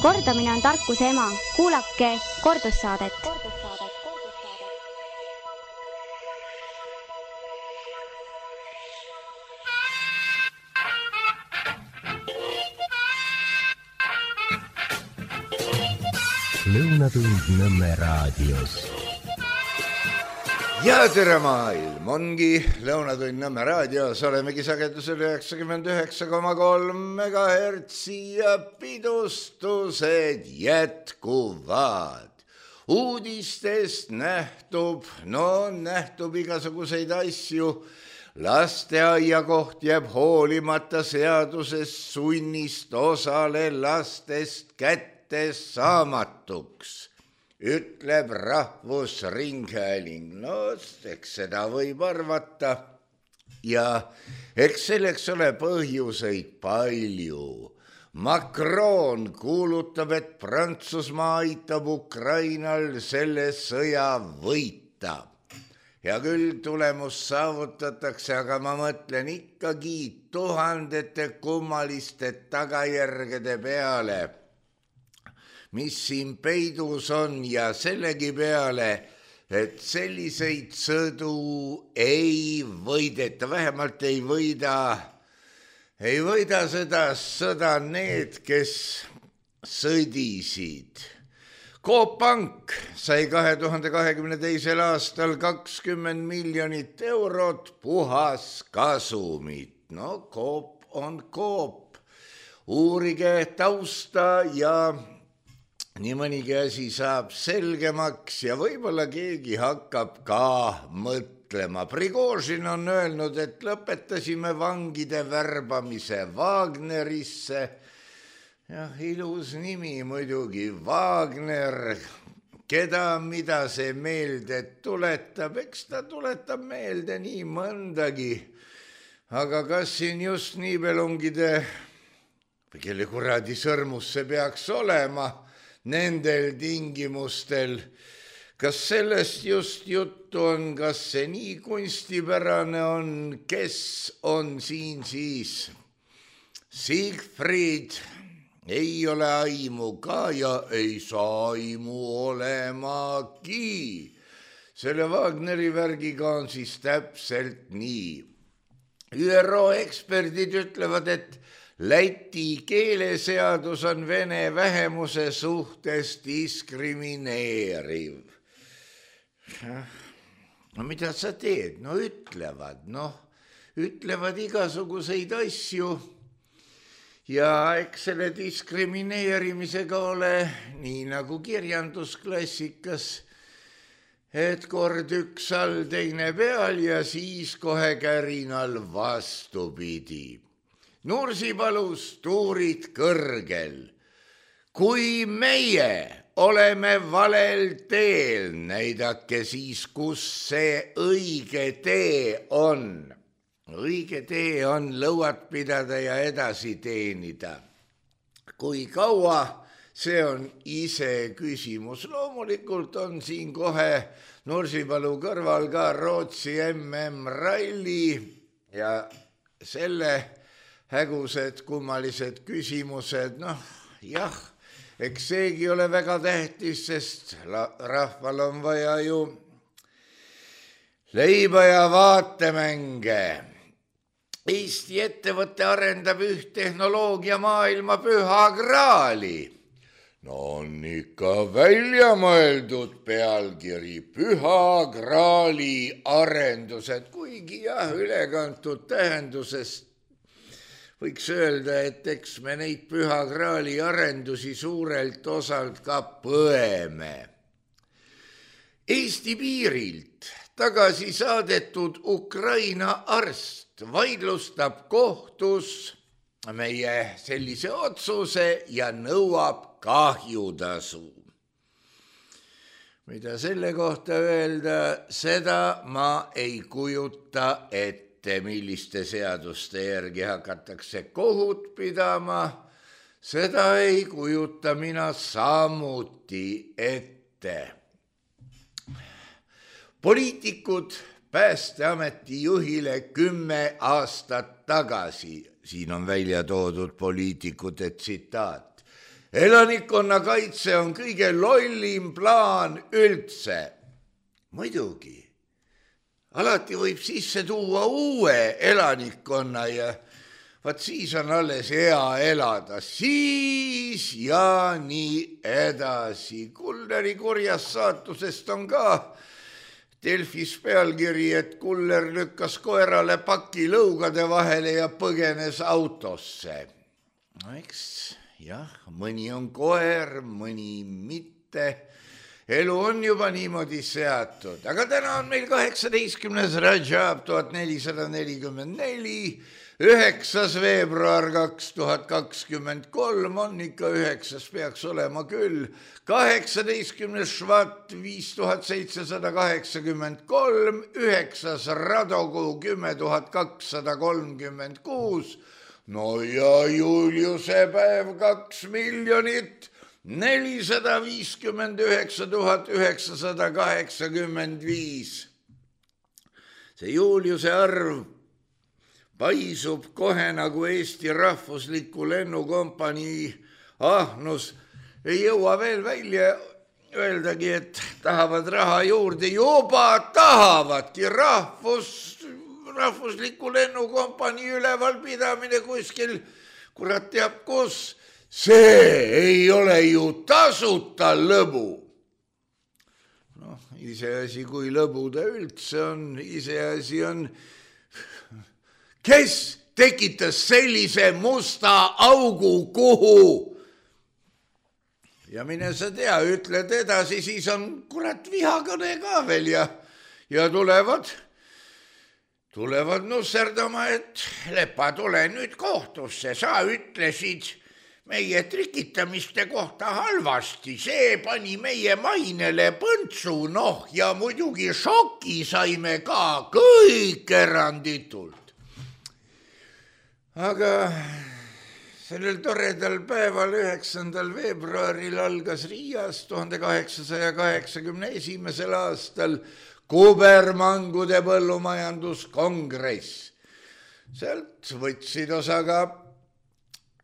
Kordamine on tarkuse ema. Kuulake kordussaadet. Lõunatund Nõmme raadios. Ja tere maailm, ongi Lõunatund Nõmme raadios, olemegi sagedusel 99,3 MHz ja pidustused jätkuvad. Uudistest nähtub igasuguseid asju. Lasteaia koht jääb hoolimata seadusest sunnist osale lastest kättesaamatuks, ütleb Rahvusringhääling. No, eks seda võib arvata ja eks selleks ole põhjuseid palju. Macron kuulutab, et Prantsusmaa aitab Ukrainal selle sõja võita. Ja küll tulemus saavutatakse, aga ma mõtlen ikkagi tuhandete kummaliste tagajärgede peale, mis siin peidus on ja sellegi peale, et selliseid sõdu ei võideta, vähemalt ei võida seda sõda need, kes sõdisid. Coop Pank sai 2022. aastal 20 miljonit eurot puhaskasumit. No Coop on Coop. Uurige tausta ja nii mõnigi asi saab selgemaks ja võib-olla keegi hakkab ka mõtlema. Prigožin on öelnud, et lõpetasime vangide värbamise Wagnerisse. Jah, ilus nimi muidugi, Wagner, keda mida see meelde tuletab, eks ta tuletab meelde nii mõndagi. Aga kas siin just niibelungide või kelle kuradi sõrmus see peaks olema nendel tingimustel? Kas sellest just juttu on, kas see nii kunstipärane on, kes on siin siis? Siegfried ei ole aimu ka ja ei saa aimu olemagi. Selle Wagneri värgiga on siis täpselt nii. ÜRO eksperdid ütlevad, et Läti keeleseadus on vene vähemuse suhtes diskrimineeriv. No mida sa teed? No ütlevad igasuguseid asju. Ja eks selle diskrimineerimisega ole nii nagu kirjandusklassikas, et kord üks all teine peal ja siis kohe kärinal vastupidi. Nursipalus tuurid kõrgel. Kui meie oleme valel teel, näidake siis, kus see õige tee on. Õige tee on lõuad pidada ja edasi teenida. Kui kaua, see on ise küsimus. Loomulikult on siin kohe Nursipalu kõrval ka Rootsi MM-ralli ja selle hägused kummalised küsimused. Jah, eks seegi ole väga tähtis, sest rahval on vaja ju leiba ja vaatemänge. Eesti ettevõte arendab üht tehnoloogia maailma püha graali. No on ikka välja mõeldud pealkiri, püha graali arendused, kuigi jah, ülekantud tähendusest võiks öelda, et eks me neid püha graali arendusi suurelt osalt ka põeme. Eesti piirilt tagasi saadetud Ukraina arst vaidlustab kohtus meie sellise otsuse ja nõuab kahjutasu. Mida selle kohta öelda, seda ma ei kujuta ette, milliste seaduste järgi hakatakse kohut pidama. Seda ei kujuta mina samuti ette. Poliitikud Päästeameti juhile 10 aastat tagasi, siin on välja toodud poliitikute tsitaat, elanikkonnakaitse on kõige lollim plaan üldse. Muidugi, alati võib sisse tuua uue elanikkonna ja vaat siis on alles hea elada, siis ja nii edasi. Kulleri kurjast saatusest on ka Delfis pealkiri, et kuller lükkas koerale paki lõugade vahele ja põgenes autosse. No eks, jah, mõni on koer, mõni mitte. Elu on juba niimoodi seatud, aga täna on meil 18. Rajab 1444, 9. veebruar 2023 on ikka 9, peaks olema küll, 18. Švat 5783, 9. Radokuu 10236, no ja Juliuse päev 2 459 985. See Juliuse arv paisub kohe nagu Eesti rahvusliku lennukompanii ahnus. Ei jõua veel välja öeldagi, et tahavad raha juurde. Juba tahavadki rahvusliku lennukompanii ülevalpidamine kuskil, kurat teab kus. See ei ole ju tasuta lõbu. Noh, iseasi, kui lõbu ta üldse on, iseasi on, kes tekitas sellise musta augu kuhu? Ja mine sa tea, ütled edasi, siis on kurat vihakõne ka veel ja tulevad nusserdama, et Lepa, tule nüüd kohtusse, sa ütlesid meie trikitamiste kohta halvasti, see pani meie mainele põntsu, noh ja muidugi šoki saime ka kõik eranditult. Aga sellel toredal päeval 9. veebruaril algas Riias 1881. aastal kubermangude põllumajanduskongress. Sealt võtsid osa ka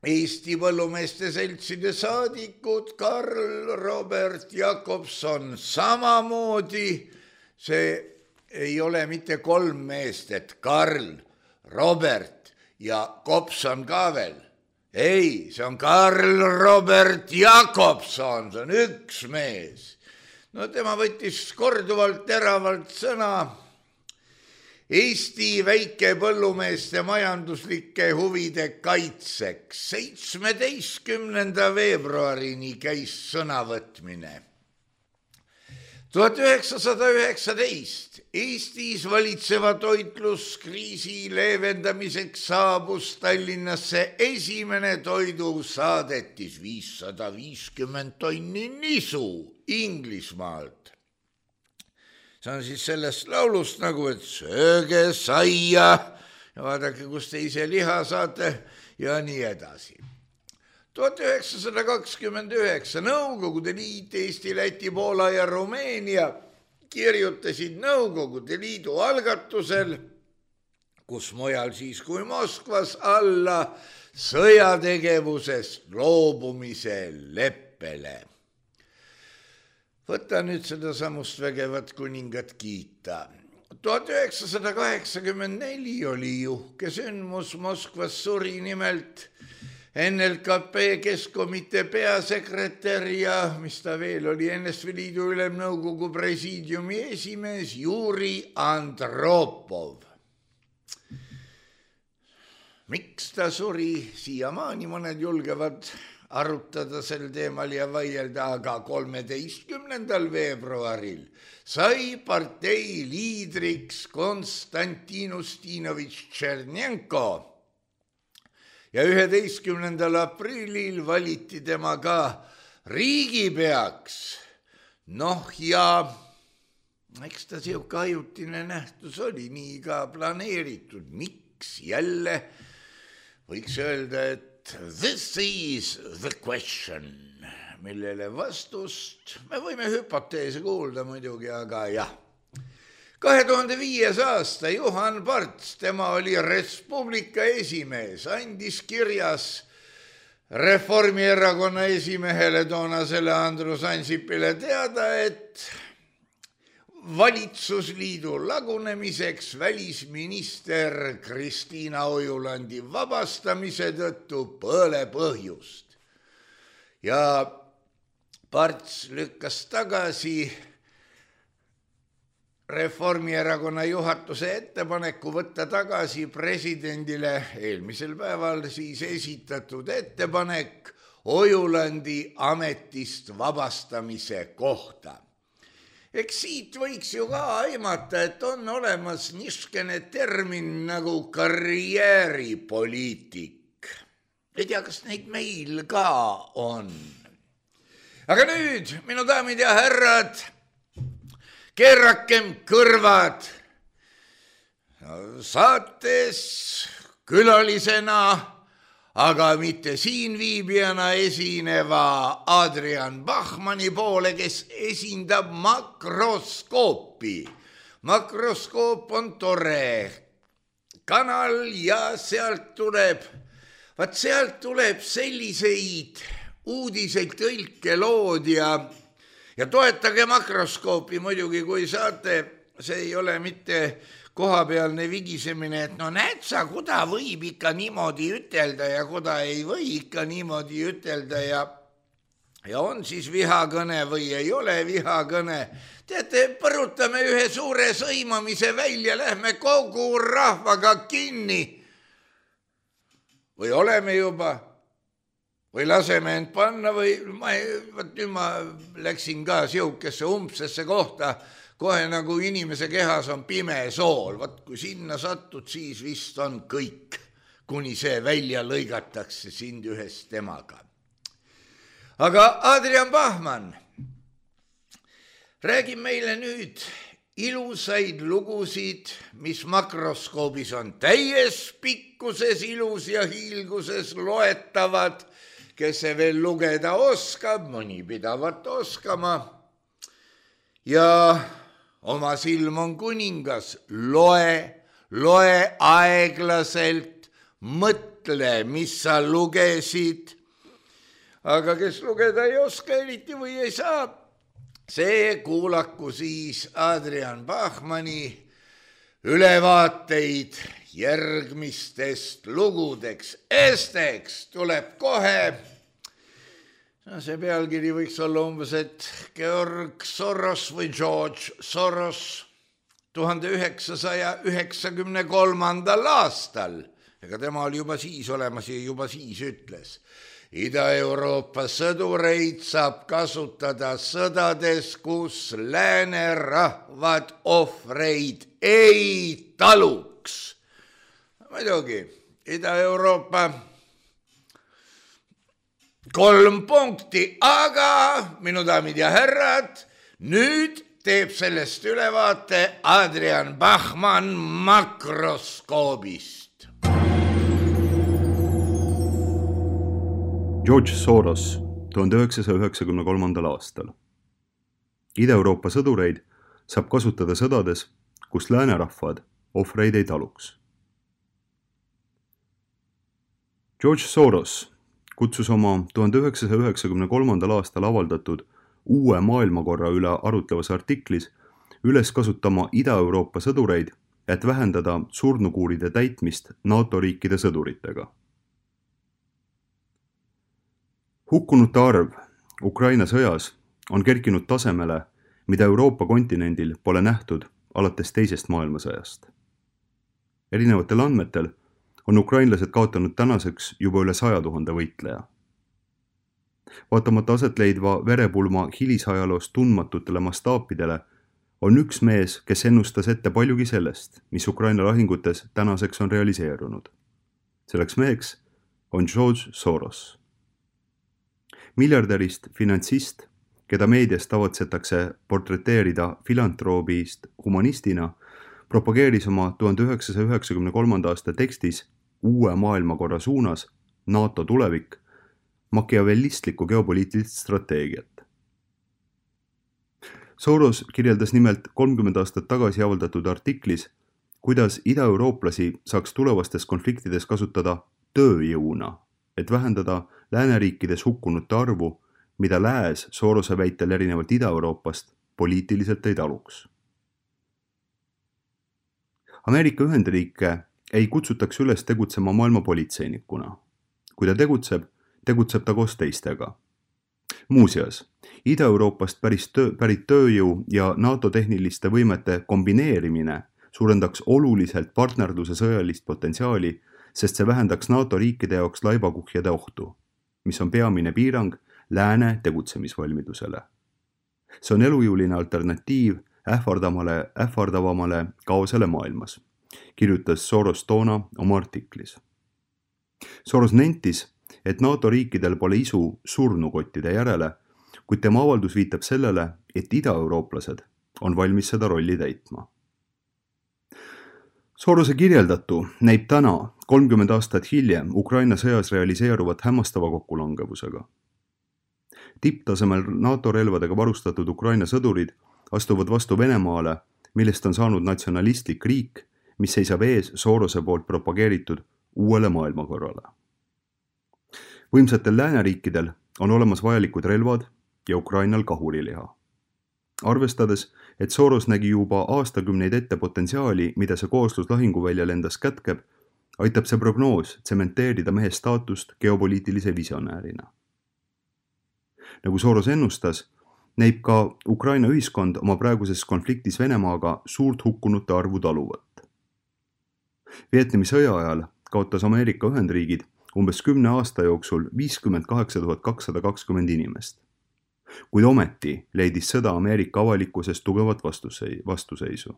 Eesti põllumeeste seltside saadikud Karl Robert Jakobson samamoodi. See ei ole mitte 3 meest, et Karl, Robert ja Kopson ka veel. Ei, see on Karl Robert Jakobson, see on üks mees. No tema võttis korduvalt teravalt sõna Eesti väikepõllumeeste majanduslike huvide kaitseks. 17. veebruarini käis sõnavõtmine. 1919 Eestis valitseva toitluskriisi leevendamiseks saabus Tallinnasse esimene toidusaadetis 550 tonni nisu Inglismaalt. See on siis sellest laulust nagu, et sööge saia ja vaadake, kus te ise liha saate ja nii edasi. 1929 Nõukogude Liit, Eesti, Läti, Poola ja Rumeenia kirjutasid Nõukogude Liidu algatusel, kus mujal siis kui Moskvas, alla sõjategevusest loobumise leppele. Võta nüüd seda samust vägevat kuningat kiita. 1984 oli juhke sündmus, Moskvas suri nimelt NLKP Keskkomitee peasekretär ja mis ta veel oli, NSV Liidu Ülemnõukogu presiidiumi esimees Juri Andropov. Miks ta suri, siiamaani mõned julgevad arutada sel teemal ja vaielda, aga 13. veebruaril sai partei liidriks Konstantin Ustinovitš Tšernjenko ja 11. aprillil valiti tema ka riigipeaks. Noh ja eks ta siuke ajutine nähtus oli, nii ka planeeritud. Miks jälle võiks öelda, et this is the question, millele vastust me võime hüpoteese kuulda muidugi, aga jah. 2005. aasta Juhan Parts, tema oli Res Publica esimees, andis kirjas Reformierakonna esimehele toonasele Andrus Ansipile teada, et valitsusliidu lagunemiseks välisminister Kristiina Ojulandi vabastamise tõttu pole põhjust. Ja Parts lükkas tagasi Reformierakonna juhatuse ettepaneku võtta tagasi presidendile eelmisel päeval siis esitatud ettepanek Ojulandi ametist vabastamise kohta. Eks siit võiks ju ka aimata, et on olemas niisugune termin nagu karjääripoliitik. Ei tea, kas neid meil ka on. Aga nüüd, minu daamid ja härrad, keerakem kõrvad. Saates külalisena, aga mitte siin viibijana esineva Adrian Bachmanni poole, kes esindab Makroskoopi. Makroskoop on tore kanal ja sealt tuleb selliseid uudiseid tõlkelood ja toetage Makroskoopi muidugi, kui saate. See ei ole mitte kohapealne vigisemine, et no näed sa, kuda võib ikka niimoodi ütelda ja kuda ei või ikka niimoodi ütelda ja on siis vihakõne või ei ole vihakõne. Teate, põrutame ühe suure sõimamise välja, lähme kogu rahvaga kinni. Või oleme juba? Või laseme end panna või ma läksin ka siukesse umbsesse kohta, kohe nagu inimese kehas on pime sool. Vaat kui sinna satud, siis vist on kõik, kuni see välja lõigatakse sind ühest temaga. Aga Adrian Bachmann räägib meile nüüd ilusaid lugusid, mis Makroskoobis on täies pikkuses ilus ja hiilguses loetavad. Kes see veel lugeda oskab, mõni pidavat oskama. Ja oma silm on kuningas, loe aeglaselt, mõtle, mis sa lugesid. Aga kes lugeda ei oska eriti või ei saa, see kuulaku siis Adrian Bachmanni ülevaateid järgmistest lugudeks. Esteks tuleb kohe. See pealkiri võiks olla umbes, et Georg Soros või George Soros 1993. aastal, ega tema oli juba siis olemas ja juba siis ütles, Ida-Euroopa sõdureid saab kasutada sõdades, kus läänerahvad ohvreid ei taluks. Muidugi, Ida-Euroopa 3 punkti, aga minu daamid ja härrad, nüüd teeb sellest ülevaate Adrian Bachmann Makroskoobist. George Soros 1993. aastal. Ida-Euroopa sõdureid saab kasutada sõdades, kus läänerahvad ohvreid ei taluks. George Soros kutsus oma 1993. aastal avaldatud uue maailmakorra üle arutlevas artiklis üles kasutama Ida-Euroopa sõdureid, et vähendada surnukuuride täitmist NATO riikide sõduritega. Hukkunute arv Ukraina sõjas on kerkinud tasemele, mida Euroopa kontinendil pole nähtud alates teisest maailmasõjast. Erinevatel andmetel on ukrainlased kaotanud tänaseks juba üle 100 000 võitleja. Vaatamata aset leidva verepulma hilisajaloos tundmatutele mastaapidele on üks mees, kes ennustas ette paljugi sellest, mis Ukraina lahingutes tänaseks on realiseerunud. Selleks meheks on George Soros. Miljardärist finantsist, keda meedias tavatsetakse portreteerida filantroobist humanistina, propageeris oma 1993. aasta tekstis uue maailmakorra suunas NATO tulevik makiavellistlikku geopoliitilist strateegiat. Soros kirjeldas nimelt 30 aastat tagasi avaldatud artiklis, kuidas idaeurooplasi saaks tulevastes konfliktides kasutada tööjõuna et vähendada lääneriikides hukkunute arvu, mida lääs Sorose väitel erinevalt Ida-Euroopast poliitiliselt ei taluks. Ameerika Ühendriike ei kutsutaks üles tegutsema maailma politseinikuna. Kui ta tegutseb ta koos teistega. Muuseas, Ida-Euroopast pärit tööjõu ja NATO tehniliste võimete kombineerimine suurendaks oluliselt partnerluse sõjalist potentsiaali, sest see vähendaks NATO riikide jaoks laibakuhjade ohtu, mis on peamine piirang lääne tegutsemisvalmidusele. See on elujõuline alternatiiv ähvardavamale kaosele maailmas, kirjutas Soros toona oma artiklis. Soros nentis, et NATO riikidel pole isu surnukottide järele, kuid tema avaldus viitab sellele, et idaeurooplased on valmis seda rolli täitma. Sorose kirjeldatu näib täna, 30 aastat hiljem, Ukraina sõjas realiseeruvat hämmastava kokkulangevusega. Tipptasemel NATO relvadega varustatud Ukraina sõdurid astuvad vastu Venemaale, millest on saanud natsionalistlik riik, mis seisab ees Sorose poolt propageeritud uuele maailmakorrale. Võimsatel lääneriikidel on olemas vajalikud relvad ja Ukrainal kahuriliha. Arvestades, et Soros nägi juba aastakümneid ette potentsiaali, mida see kooslus lahinguväljal endas kätkeb, aitab see prognoos tsementeerida mehe staatust geopoliitilise visionäärina. Nagu Soros ennustas, näib ka Ukraina ühiskond oma praeguses konfliktis Venemaaga suurt hukkunute arvu taluvat. Vietnami sõja ajal kaotas Ameerika Ühendriigid umbes 10 aasta jooksul 58 220 inimest. Kuid ometi leidis sõda Ameerika avalikkuses tugevat vastuseisu.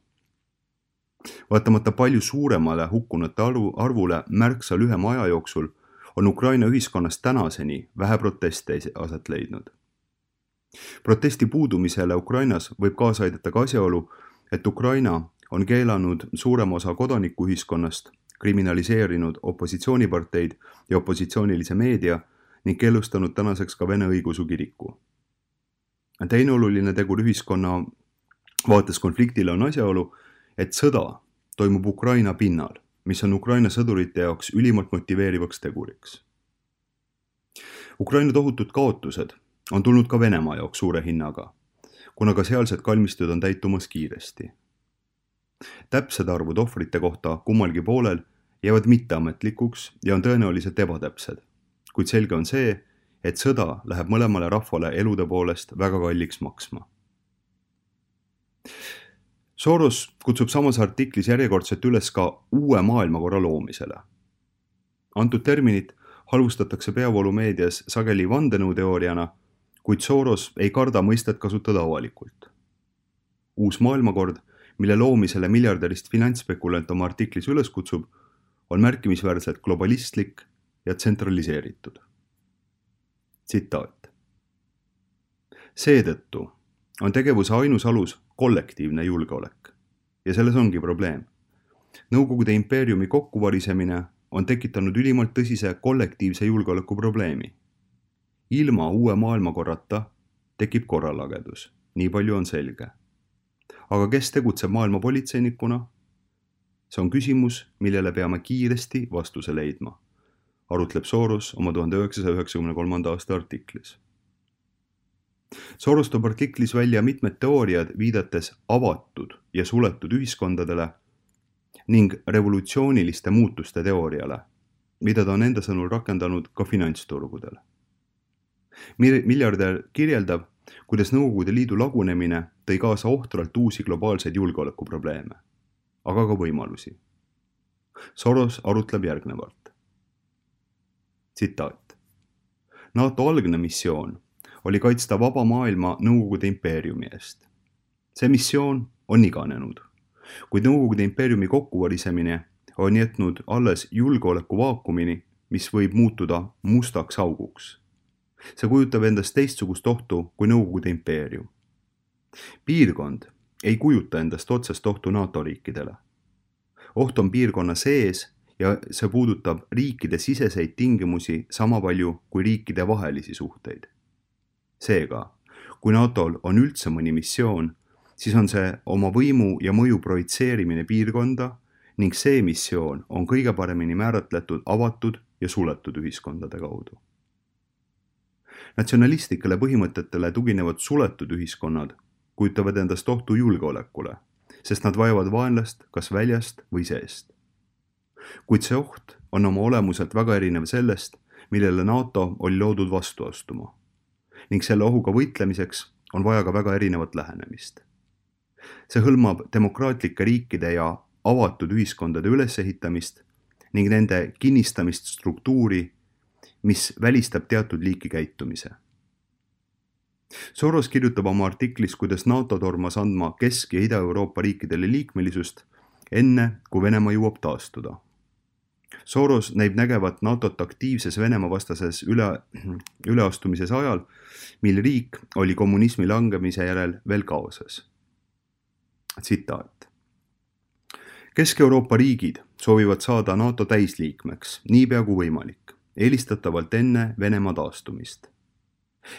Vaatamata palju suuremale hukkunute arvule märksa lühema aja jooksul on Ukraina ühiskonnas tänaseni vähe proteste aset leidnud. Protesti puudumisele Ukrainas võib kaasa aidata ka asjaolu, et Ukraina on keelanud suurema osa kodanikuühiskonnast, kriminaliseerinud opositsiooniparteid ja opositsioonilise meedia ning keelustanud tänaseks ka Vene õigeusu kiriku. Teine oluline tegur ühiskonna vaates konfliktile on asjaolu, et sõda toimub Ukraina pinnal, mis on Ukraina sõdurite jaoks ülimalt motiveerivaks teguriks. Ukraina tohutud kaotused on tulnud ka Venemaa jaoks suure hinnaga, kuna ka sealsed kalmistud on täitumas kiiresti. Täpsed arvud ohvrite kohta kummalgi poolel jäävad mitteametlikuks ja on tõenäoliselt ebatäpsed, kuid selge on see, et sõda läheb mõlemale rahvale elude poolest väga kalliks maksma. Soros kutsub samas artiklis järjekordselt üles ka uue maailmakorra loomisele. Antud terminit halvustatakse peavoolumeedias sageli vandenõuteooriana, kuid Soros ei karda mõistet kasutada avalikult. Uus maailmakord, mille loomisele miljardärist finantsspekulant oma artiklis üles kutsub, on märkimisväärselt globalistlik ja tsentraliseeritud. Tsitaat. Seetõttu on tegevuse ainus alus kollektiivne julgeolek ja selles ongi probleem. Nõukogude impeeriumi kokkuvarisemine on tekitanud ülimalt tõsise kollektiivse julgeoleku probleemi. Ilma uue maailmakorrata tekib korralagedus, nii palju on selge. Aga kes tegutseb maailma politseinikuna? See on küsimus, millele peame kiiresti vastuse leidma, arutleb Soros oma 1993. aasta artiklis. Soros toob artiklis välja mitmed teooriad viidates avatud ja suletud ühiskondadele ning revolutsiooniliste muutuste teooriale, mida ta on enda sõnul rakendanud ka finantsturgudele. Miljardär kirjeldab, kuidas Nõukogude Liidu lagunemine tõi kaasa ohtralt uusi globaalseid julgeolekuprobleeme, aga ka võimalusi. Soros arutleb järgnevalt. Tsitaat. NATO algne missioon oli kaitsta vaba maailma Nõukogude impeeriumi eest. See missioon on iganenud, kuid Nõukogude impeeriumi kokkuvarisemine on jätnud alles julgeoleku vaakumini, mis võib muutuda mustaks auguks. See kujutab endast teistsugust ohtu kui Nõukogude impeerium. Piirkond ei kujuta endast otsest ohtu NATO riikidele. Oht on piirkonna sees ja see puudutab riikide siseseid tingimusi sama palju kui riikide vahelisi suhteid. Seega, kui NATOl on üldse mõni missioon, siis on see oma võimu ja mõju projitseerimine piirkonda ning see missioon on kõige paremini määratletud avatud ja suletud ühiskondade kaudu. Natsionalistlikele põhimõtetele tuginevad suletud ühiskonnad kujutavad endast ohtu julgeolekule, sest nad vajavad vaenlast kas väljast või seest. Kuid see oht on oma olemuselt väga erinev sellest, millele NATO oli loodud vastu astuma. Ning selle ohuga võitlemiseks on vaja ka väga erinevat lähenemist. See hõlmab demokraatlike riikide ja avatud ühiskondade ülesehitamist ning nende kinnistamist struktuuri, mis välistab teatud liiki käitumise. Soros kirjutab oma artiklis, kuidas NATO tormas andma Kesk- ja Ida-Euroopa riikidele liikmelisust enne, kui Venemaa jõuab taastuda. Soros näib nägevat NATOt aktiivses Venemaa vastases üleastumises ajal, mil riik oli kommunismi langemise järel veel kaoses. Tsitaat. Kesk-Euroopa riigid soovivad saada NATO täisliikmeks niipea kui võimalik, eelistatavalt enne Venemaa taastumist.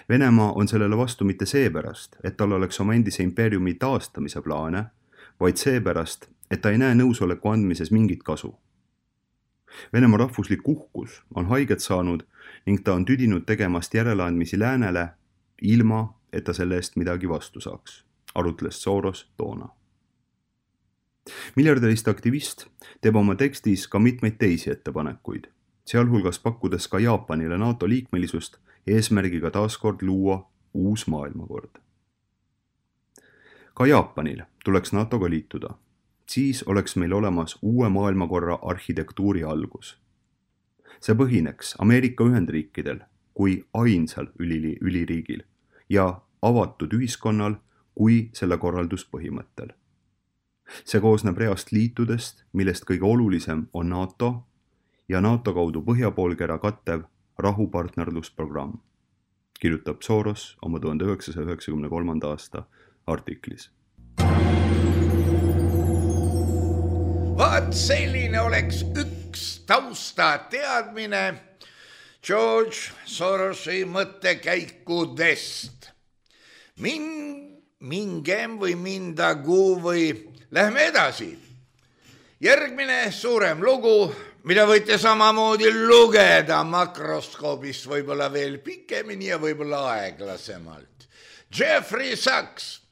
Venemaa on sellele vastu mitte seepärast, et tal oleks oma endise impeeriumi taastamise plaane, vaid seepärast, et ta ei näe nõusoleku andmises mingit kasu. Venemaa rahvuslik uhkus on haiget saanud ning ta on tüdinud tegemast järeleandmisi läänele, ilma et ta selle eest midagi vastu saaks, arutles Soros toona. Miljardärist aktivist teeb oma tekstis ka mitmeid teisi ettepanekuid, sealhulgas pakkudes ka Jaapanile NATO liikmelisust eesmärgiga taaskord luua uus maailmakord. Ka Jaapanil tuleks NATOga liituda. Siis oleks meil olemas uue maailmakorra arhitektuuri algus. See põhineks Ameerika Ühendriikidel kui ainsal üliriigil ja avatud ühiskonnal kui selle korralduspõhimõttel. See koosneb reast liitudest, millest kõige olulisem on NATO ja NATO kaudu põhjapoolkera kattev rahupartnerlusprogramm, kirjutab Soros oma 1993. aasta artiklis. Vaat selline oleks üks tausta teadmine George Sorosi mõttekäikudest. Mingem või mindagu või lähme edasi. Järgmine suurem lugu, mida võite samamoodi lugeda makroskoobist võib-olla veel pikemini ja võib-olla aeglasemalt. Jeffrey Sachs.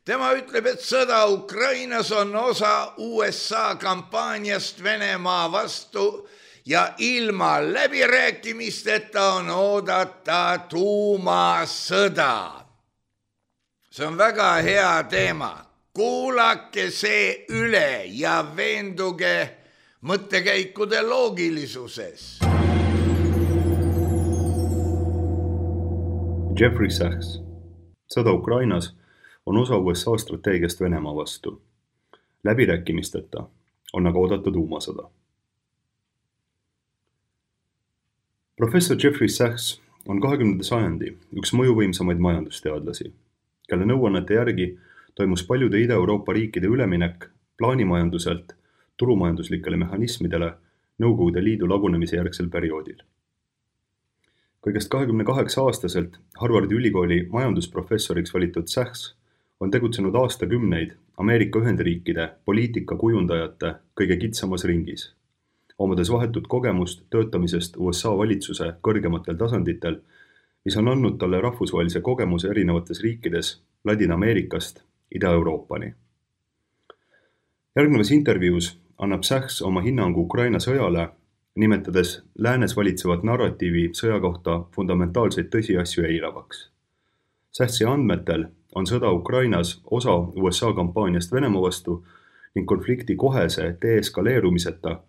Tema ütleb, et sõda Ukrainas on osa USA kampaaniast Venemaa vastu ja ilma läbirääkimisteta on oodata tuumasõda. See on väga hea teema. Kuulake see üle ja veenduge mõttekäikude loogilisuses. Jeffrey Sachs. Sõda Ukrainas on osa USA strateegiast Venemaa vastu. Läbirääkimisteta on aga oodata tuumasõda. Professor Jeffrey Sachs on 20. sajandi üks mõjuvõimsamaid majandusteadlasi, kelle nõuannete järgi toimus paljude Ida-Euroopa riikide üleminek plaanimajanduselt turumajanduslikele mehhanismidele Nõukogude Liidu lagunemise järgsel perioodil. Kõigest 28-aastaselt Harvardi ülikooli majandusprofessoriks valitud Sachs on tegutsenud aastakümneid Ameerika Ühendriikide poliitikakujundajate kõige kitsamas ringis, omades vahetut kogemust töötamisest USA valitsuse kõrgematel tasanditel, mis on andnud talle rahvusvahelise kogemuse erinevates riikides Ladina-Ameerikast Ida-Euroopani. Järgnevas intervjuus annab Sachs oma hinnangu Ukraina sõjale, nimetades läänes valitsevat narratiivi sõja kohta fundamentaalseid tõsiasju eiravaks. Sachsi andmetel on sõda Ukrainas osa USA kampaaniast Venemaa vastu ning konflikti kohese deeskaleerumiseta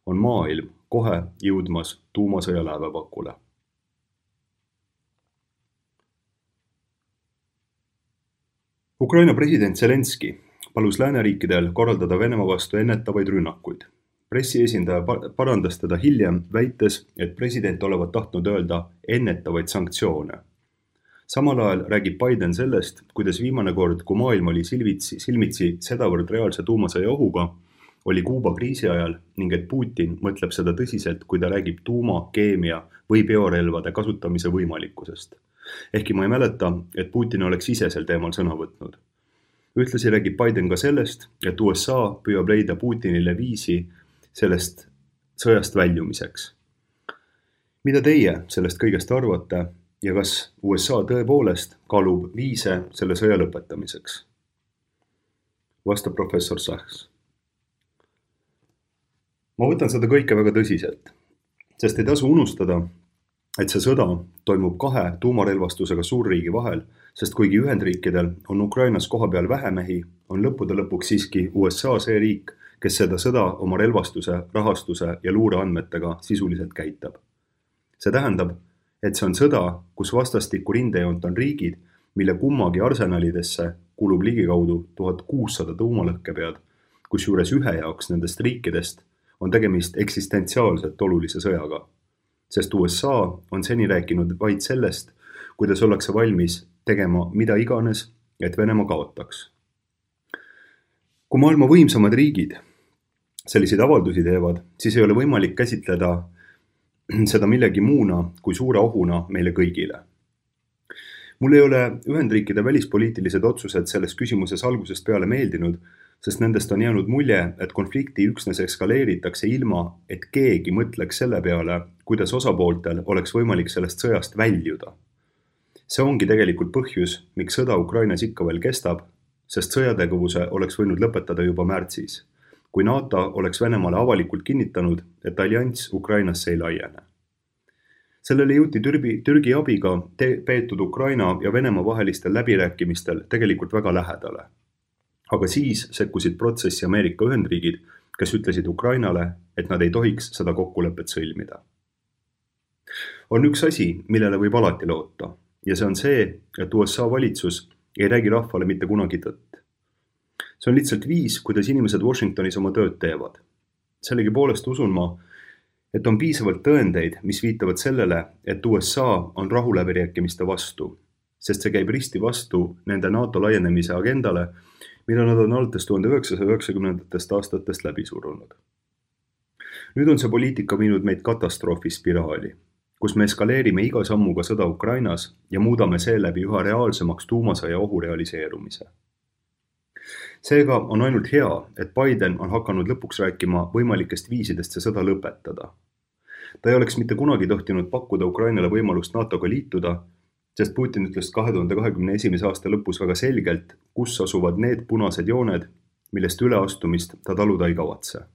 on maailm kohe jõudmas tuumasõja lävepakule. Ukraina president Zelenski palus lääneriikidel korraldada Venemaa vastu ennetavaid rünnakuid. Pressiesindaja parandas teda hiljem, väites, et president olevat tahtnud öelda ennetavaid sanktsioone. Samal ajal räägib Biden sellest, kuidas viimane kord, kui maailm oli silmitsi sedavõrd reaalse tuumasõja ohuga, oli Kuuba kriisi ajal ning et Putin mõtleb seda tõsiselt, kui ta räägib tuuma, keemia või biorelvade kasutamise võimalikkusest. Ehkki ma ei mäleta, et Putin oleks ise sel teemal sõna võtnud. Ühtlasi räägib Biden ka sellest, et USA püüab leida Putinile viisi sellest sõjast väljumiseks. Mida teie sellest kõigest arvate ja kas USA tõepoolest kaalub viise selle sõja lõpetamiseks? Vastab professor Sachs. Ma võtan seda kõike väga tõsiselt, sest ei tasu unustada, et see sõda toimub 2 tuumarelvastusega suurriigi vahel, sest kuigi Ühendriikidel on Ukrainas kohapeal vähe mehi, on lõppude lõpuks siiski USA see riik, kes seda sõda oma relvastuse, rahastuse ja luureandmetega sisuliselt käitab. See tähendab, et see on sõda, kus vastastikku rindejoont on riigid, mille kummagi arsenalidesse kulub ligikaudu 1600 tuumalõhkepead, kus juures ühe jaoks nendest riikidest on tegemist eksistentsiaalselt olulise sõjaga, sest USA on seni rääkinud vaid sellest, kuidas ollakse valmis tegema mida iganes, et Venemaa kaotaks. Kui maailma võimsamad riigid selliseid avaldusi teevad, siis ei ole võimalik käsitleda seda millegi muuna kui suure ohuna meile kõigile. Mul ei ole Ühendriikide välispoliitilised otsused selles küsimuses algusest peale meeldinud, sest nendest on jäänud mulje, et konflikti üksnes eskaleeritakse ilma, et keegi mõtleks selle peale, kuidas osapooltel oleks võimalik sellest sõjast väljuda. See ongi tegelikult põhjus, miks sõda Ukrainas ikka veel kestab, sest sõjategevuse oleks võinud lõpetada juba märtsis, kui NATO oleks Venemaale avalikult kinnitanud, et allianss Ukrainasse ei laiene. Sellele jõuti Türgi abiga peetud Ukraina ja Venemaa vahelistel läbirääkimistel tegelikult väga lähedale. Aga siis sekkusid protsessi Ameerika Ühendriigid, kes ütlesid Ukrainale, et nad ei tohiks seda kokkulepet sõlmida. On üks asi, millele võib alati loota, ja see on see, et USA valitsus ei räägi rahvale mitte kunagi tõtt. See on lihtsalt viis, kuidas inimesed Washingtonis oma tööd teevad. Sellegipoolest usun ma, et on piisavalt tõendeid, mis viitavad sellele, et USA on rahuläbirääkimiste vastu, sest see käib risti vastu nende NATO laienemise agendale, mida nad on alates 1990. aastatest läbi surunud. Nüüd on see poliitika viinud meid katastroofispiraali, kus me eskaleerime iga sammuga sõda Ukrainas ja muudame seeläbi üha reaalsemaks tuumasõja ohu realiseerumise. Seega on ainult hea, et Biden on hakanud lõpuks rääkima võimalikest viisidest see sõda lõpetada. Ta ei oleks mitte kunagi tohtinud pakkuda Ukrainale võimalust NATOga liituda, sest Putin ütles 2021. aasta lõpus väga selgelt, kus asuvad need punased jooned, millest üleastumist ta taluda ei kavatse.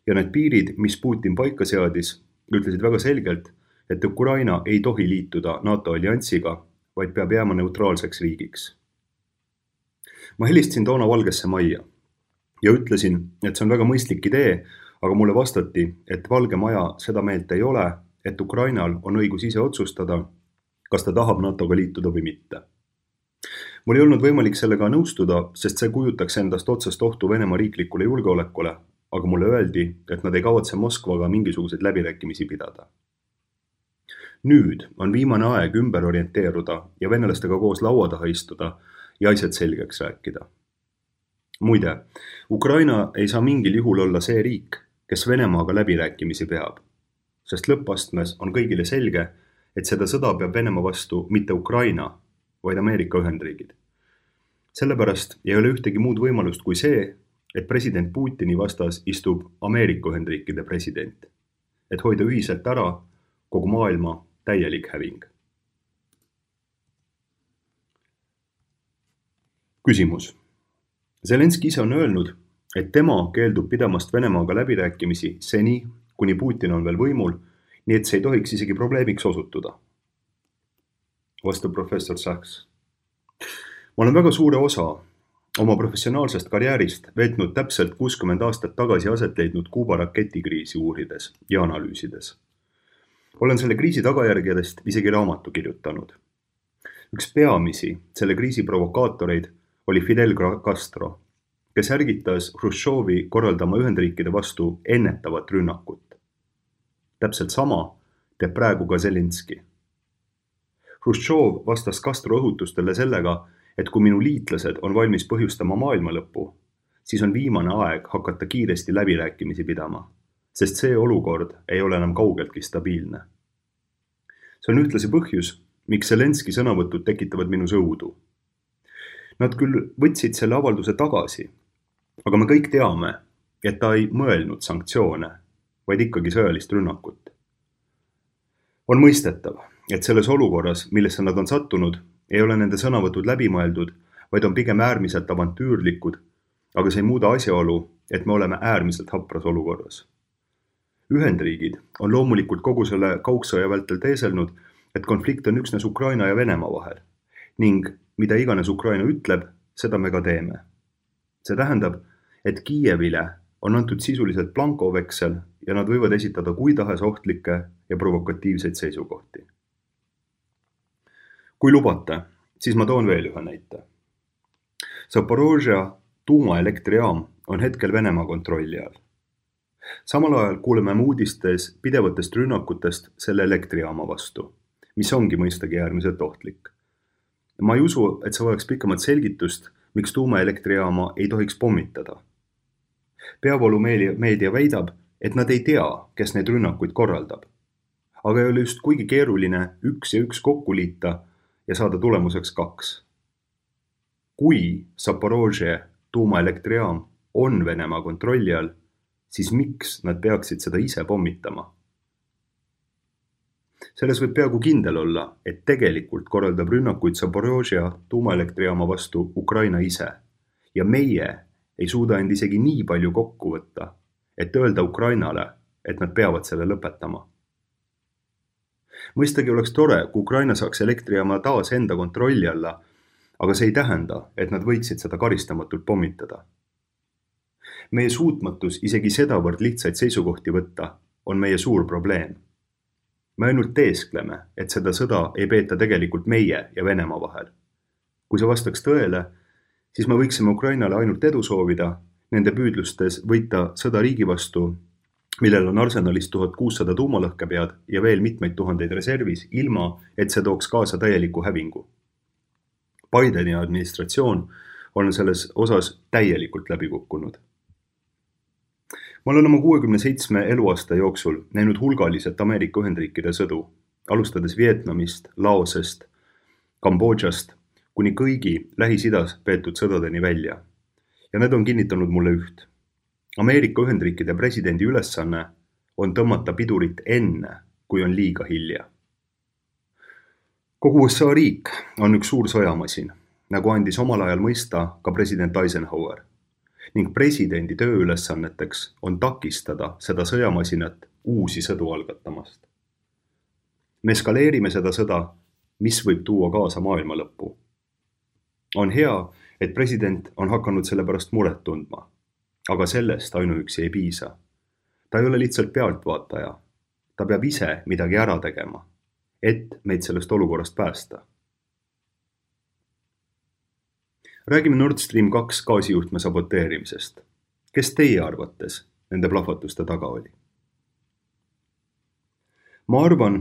Ja need piirid, mis Putin paika seadis, ütlesid väga selgelt, et Ukraina ei tohi liituda NATO alliansiga, vaid peab jääma neutraalseks riigiks. Ma helistasin toona Valgesse Majja ja ütlesin, et see on väga mõistlik idee, aga mulle vastati, et Valge Maja seda meelt ei ole, et Ukrainal on õigus ise otsustada, kas ta tahab NATOga liituda või mitte. Mul ei olnud võimalik sellega nõustuda, sest see kujutaks endast otsest ohtu Venemaa riiklikule julgeolekule, aga mulle öeldi, et nad ei kavatse Moskvaga mingisuguseid läbirääkimisi pidada. Nüüd on viimane aeg ümber orienteeruda ja venelastega koos laua taha istuda ja asjad selgeks rääkida. Muide, Ukraina ei saa mingil juhul olla see riik, kes Venemaaga läbirääkimisi peab, sest lõppastmes on kõigile selge, et seda sõda peab Venemaa vastu mitte Ukraina, vaid Ameerika Ühendriigid. Sellepärast ei ole ühtegi muud võimalust kui see, et president Putini vastas istub Ameerika Ühendriikide president, et hoida ühiselt ära kogu maailma täielik häving. Küsimus. Zelenski ise on öelnud, et tema keeldub pidamast Venemaaga läbirääkimisi seni, kuni Putin on veel võimul, nii et see ei tohiks isegi probleemiks osutuda. Vastab professor Sachs. Ma olen väga suure osa oma professionaalsest karjäärist veetnud täpselt 60 aastat tagasi aset leidnud Kuuba raketikriisi uurides ja analüüsides. Olen selle kriisi tagajärgedest isegi raamatu kirjutanud. Üks peamisi selle kriisi provokaatoreid oli Fidel Castro, kes ärgitas Hruštšovi korraldama Ühendriikide vastu ennetavat rünnakut. Täpselt sama teeb praegu ka Zelenski. Hruštšov vastas Castro õhutustele sellega, et kui minu liitlased on valmis põhjustama maailma lõppu, siis on viimane aeg hakata kiiresti läbirääkimisi pidama, sest see olukord ei ole enam kaugeltki stabiilne. See on ühtlasi põhjus, miks Zelenski sõnavõtud tekitavad minus õudu. Nad küll võtsid selle avalduse tagasi, aga me kõik teame, et ta ei mõelnud sanktsioone, vaid ikkagi sõjalist rünnakut. On mõistetav, et selles olukorras, millesse nad on sattunud, ei ole nende sõnavõtud läbimõeldud, vaid on pigem äärmiselt avantüürlikud, aga see ei muuda asjaolu, et me oleme äärmiselt hapras olukorras. Ühendriigid on loomulikult kogu selle kaugsõja vältel teeselnud, et konflikt on üksnes Ukraina ja Venemaa vahel ning mida iganes Ukraina ütleb, seda me ka teeme. See tähendab, et Kiievile on antud sisuliselt blankoveksel ja nad võivad esitada kui tahes ohtlikke ja provokatiivseid seisukohti. Kui lubate, siis ma toon veel ühe näite. Zaporožja tuumaelektrijaam on hetkel Venemaa kontrolli all. Samal ajal kuuleme uudistes pidevatest rünnakutest selle elektrijaama vastu, mis ongi mõistagi äärmiselt ohtlik. Ma ei usu, et see vajaks pikemat selgitust, miks tuumaelektrijaama ei tohiks pommitada. Peavoolumeedia väidab, et nad ei tea, kes neid rünnakuid korraldab. Aga ei ole just kuigi keeruline 1 ja 1 kokku liita ja saada tulemuseks 2. Kui Zaporožje tuumaelektrijaam on Venemaa kontrolli all, siis miks nad peaksid seda ise pommitama? Selles võib peaaegu kindel olla, et tegelikult korraldab rünnakuid Zaporožja tuumaelektrijaama vastu Ukraina ise ja meie ei suuda end isegi nii palju kokku võtta, et öelda Ukrainale, et nad peavad selle lõpetama. Mõistagi oleks tore, kui Ukraina saaks elektrijaama taas enda kontrolli alla, aga see ei tähenda, et nad võiksid seda karistamatult pommitada. Meie suutmatus isegi sedavõrd lihtsaid seisukohti võtta on meie suur probleem. Me ainult teeskleme, et seda sõda ei peeta tegelikult meie ja Venemaa vahel. Kui see vastaks tõele, siis me võiksime Ukrainale ainult edu soovida, nende püüdlustes võita sõda riigi vastu, millel on arsenalis 1600 tuumalõhkepead ja veel mitmeid tuhandeid reservis, ilma et see tooks kaasa täieliku hävingu. Bideni administratsioon on selles osas täielikult läbi kukkunud. Ma olen oma 67 eluaasta jooksul näinud hulgaliselt Ameerika Ühendriikide sõdu, alustades Vietnamist, Laosest, Kambodžast, kuni kõigi Lähis-Idas peetud sõdadeni välja. Ja need on kinnitanud mulle üht. Ameerika Ühendriikide presidendi ülesanne on tõmmata pidurit enne, kui on liiga hilja. Kogu USA riik on üks suur sõjamasin, nagu andis omal ajal mõista ka president Eisenhower. Ning presidendi tööülesanneteks on takistada seda sõjamasinat uusi sõdu algatamast. Me eskaleerime seda sõda, mis võib tuua kaasa maailma lõppu. On hea, et president on hakanud selle pärast muret tundma, aga sellest ainuüksi ei piisa. Ta ei ole lihtsalt pealtvaataja. Ta peab ise midagi ära tegema, et meid sellest olukorrast päästa. Räägime Nord Stream 2 gaasijuhtme saboteerimisest. Kes teie arvates nende plahvatuste taga oli? Ma arvan,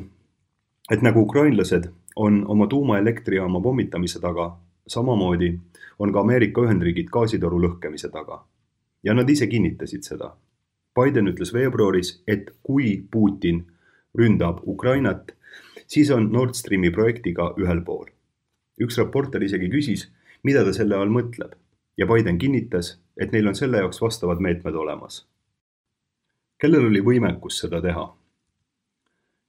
et nagu ukrainlased on oma tuumaelektrijaama pommitamise taga, samamoodi on ka Ameerika Ühendriigid gaasitoru lõhkemise taga. Ja nad ise kinnitasid seda. Biden ütles veebruaris, et kui Putin ründab Ukrainat, siis on Nord Streami projektiga ühel pool. Üks reporter isegi küsis, mida ta selle all mõtleb, ja Biden kinnitas, et neil on selle jaoks vastavad meetmed olemas. Kellel oli võimekus seda teha?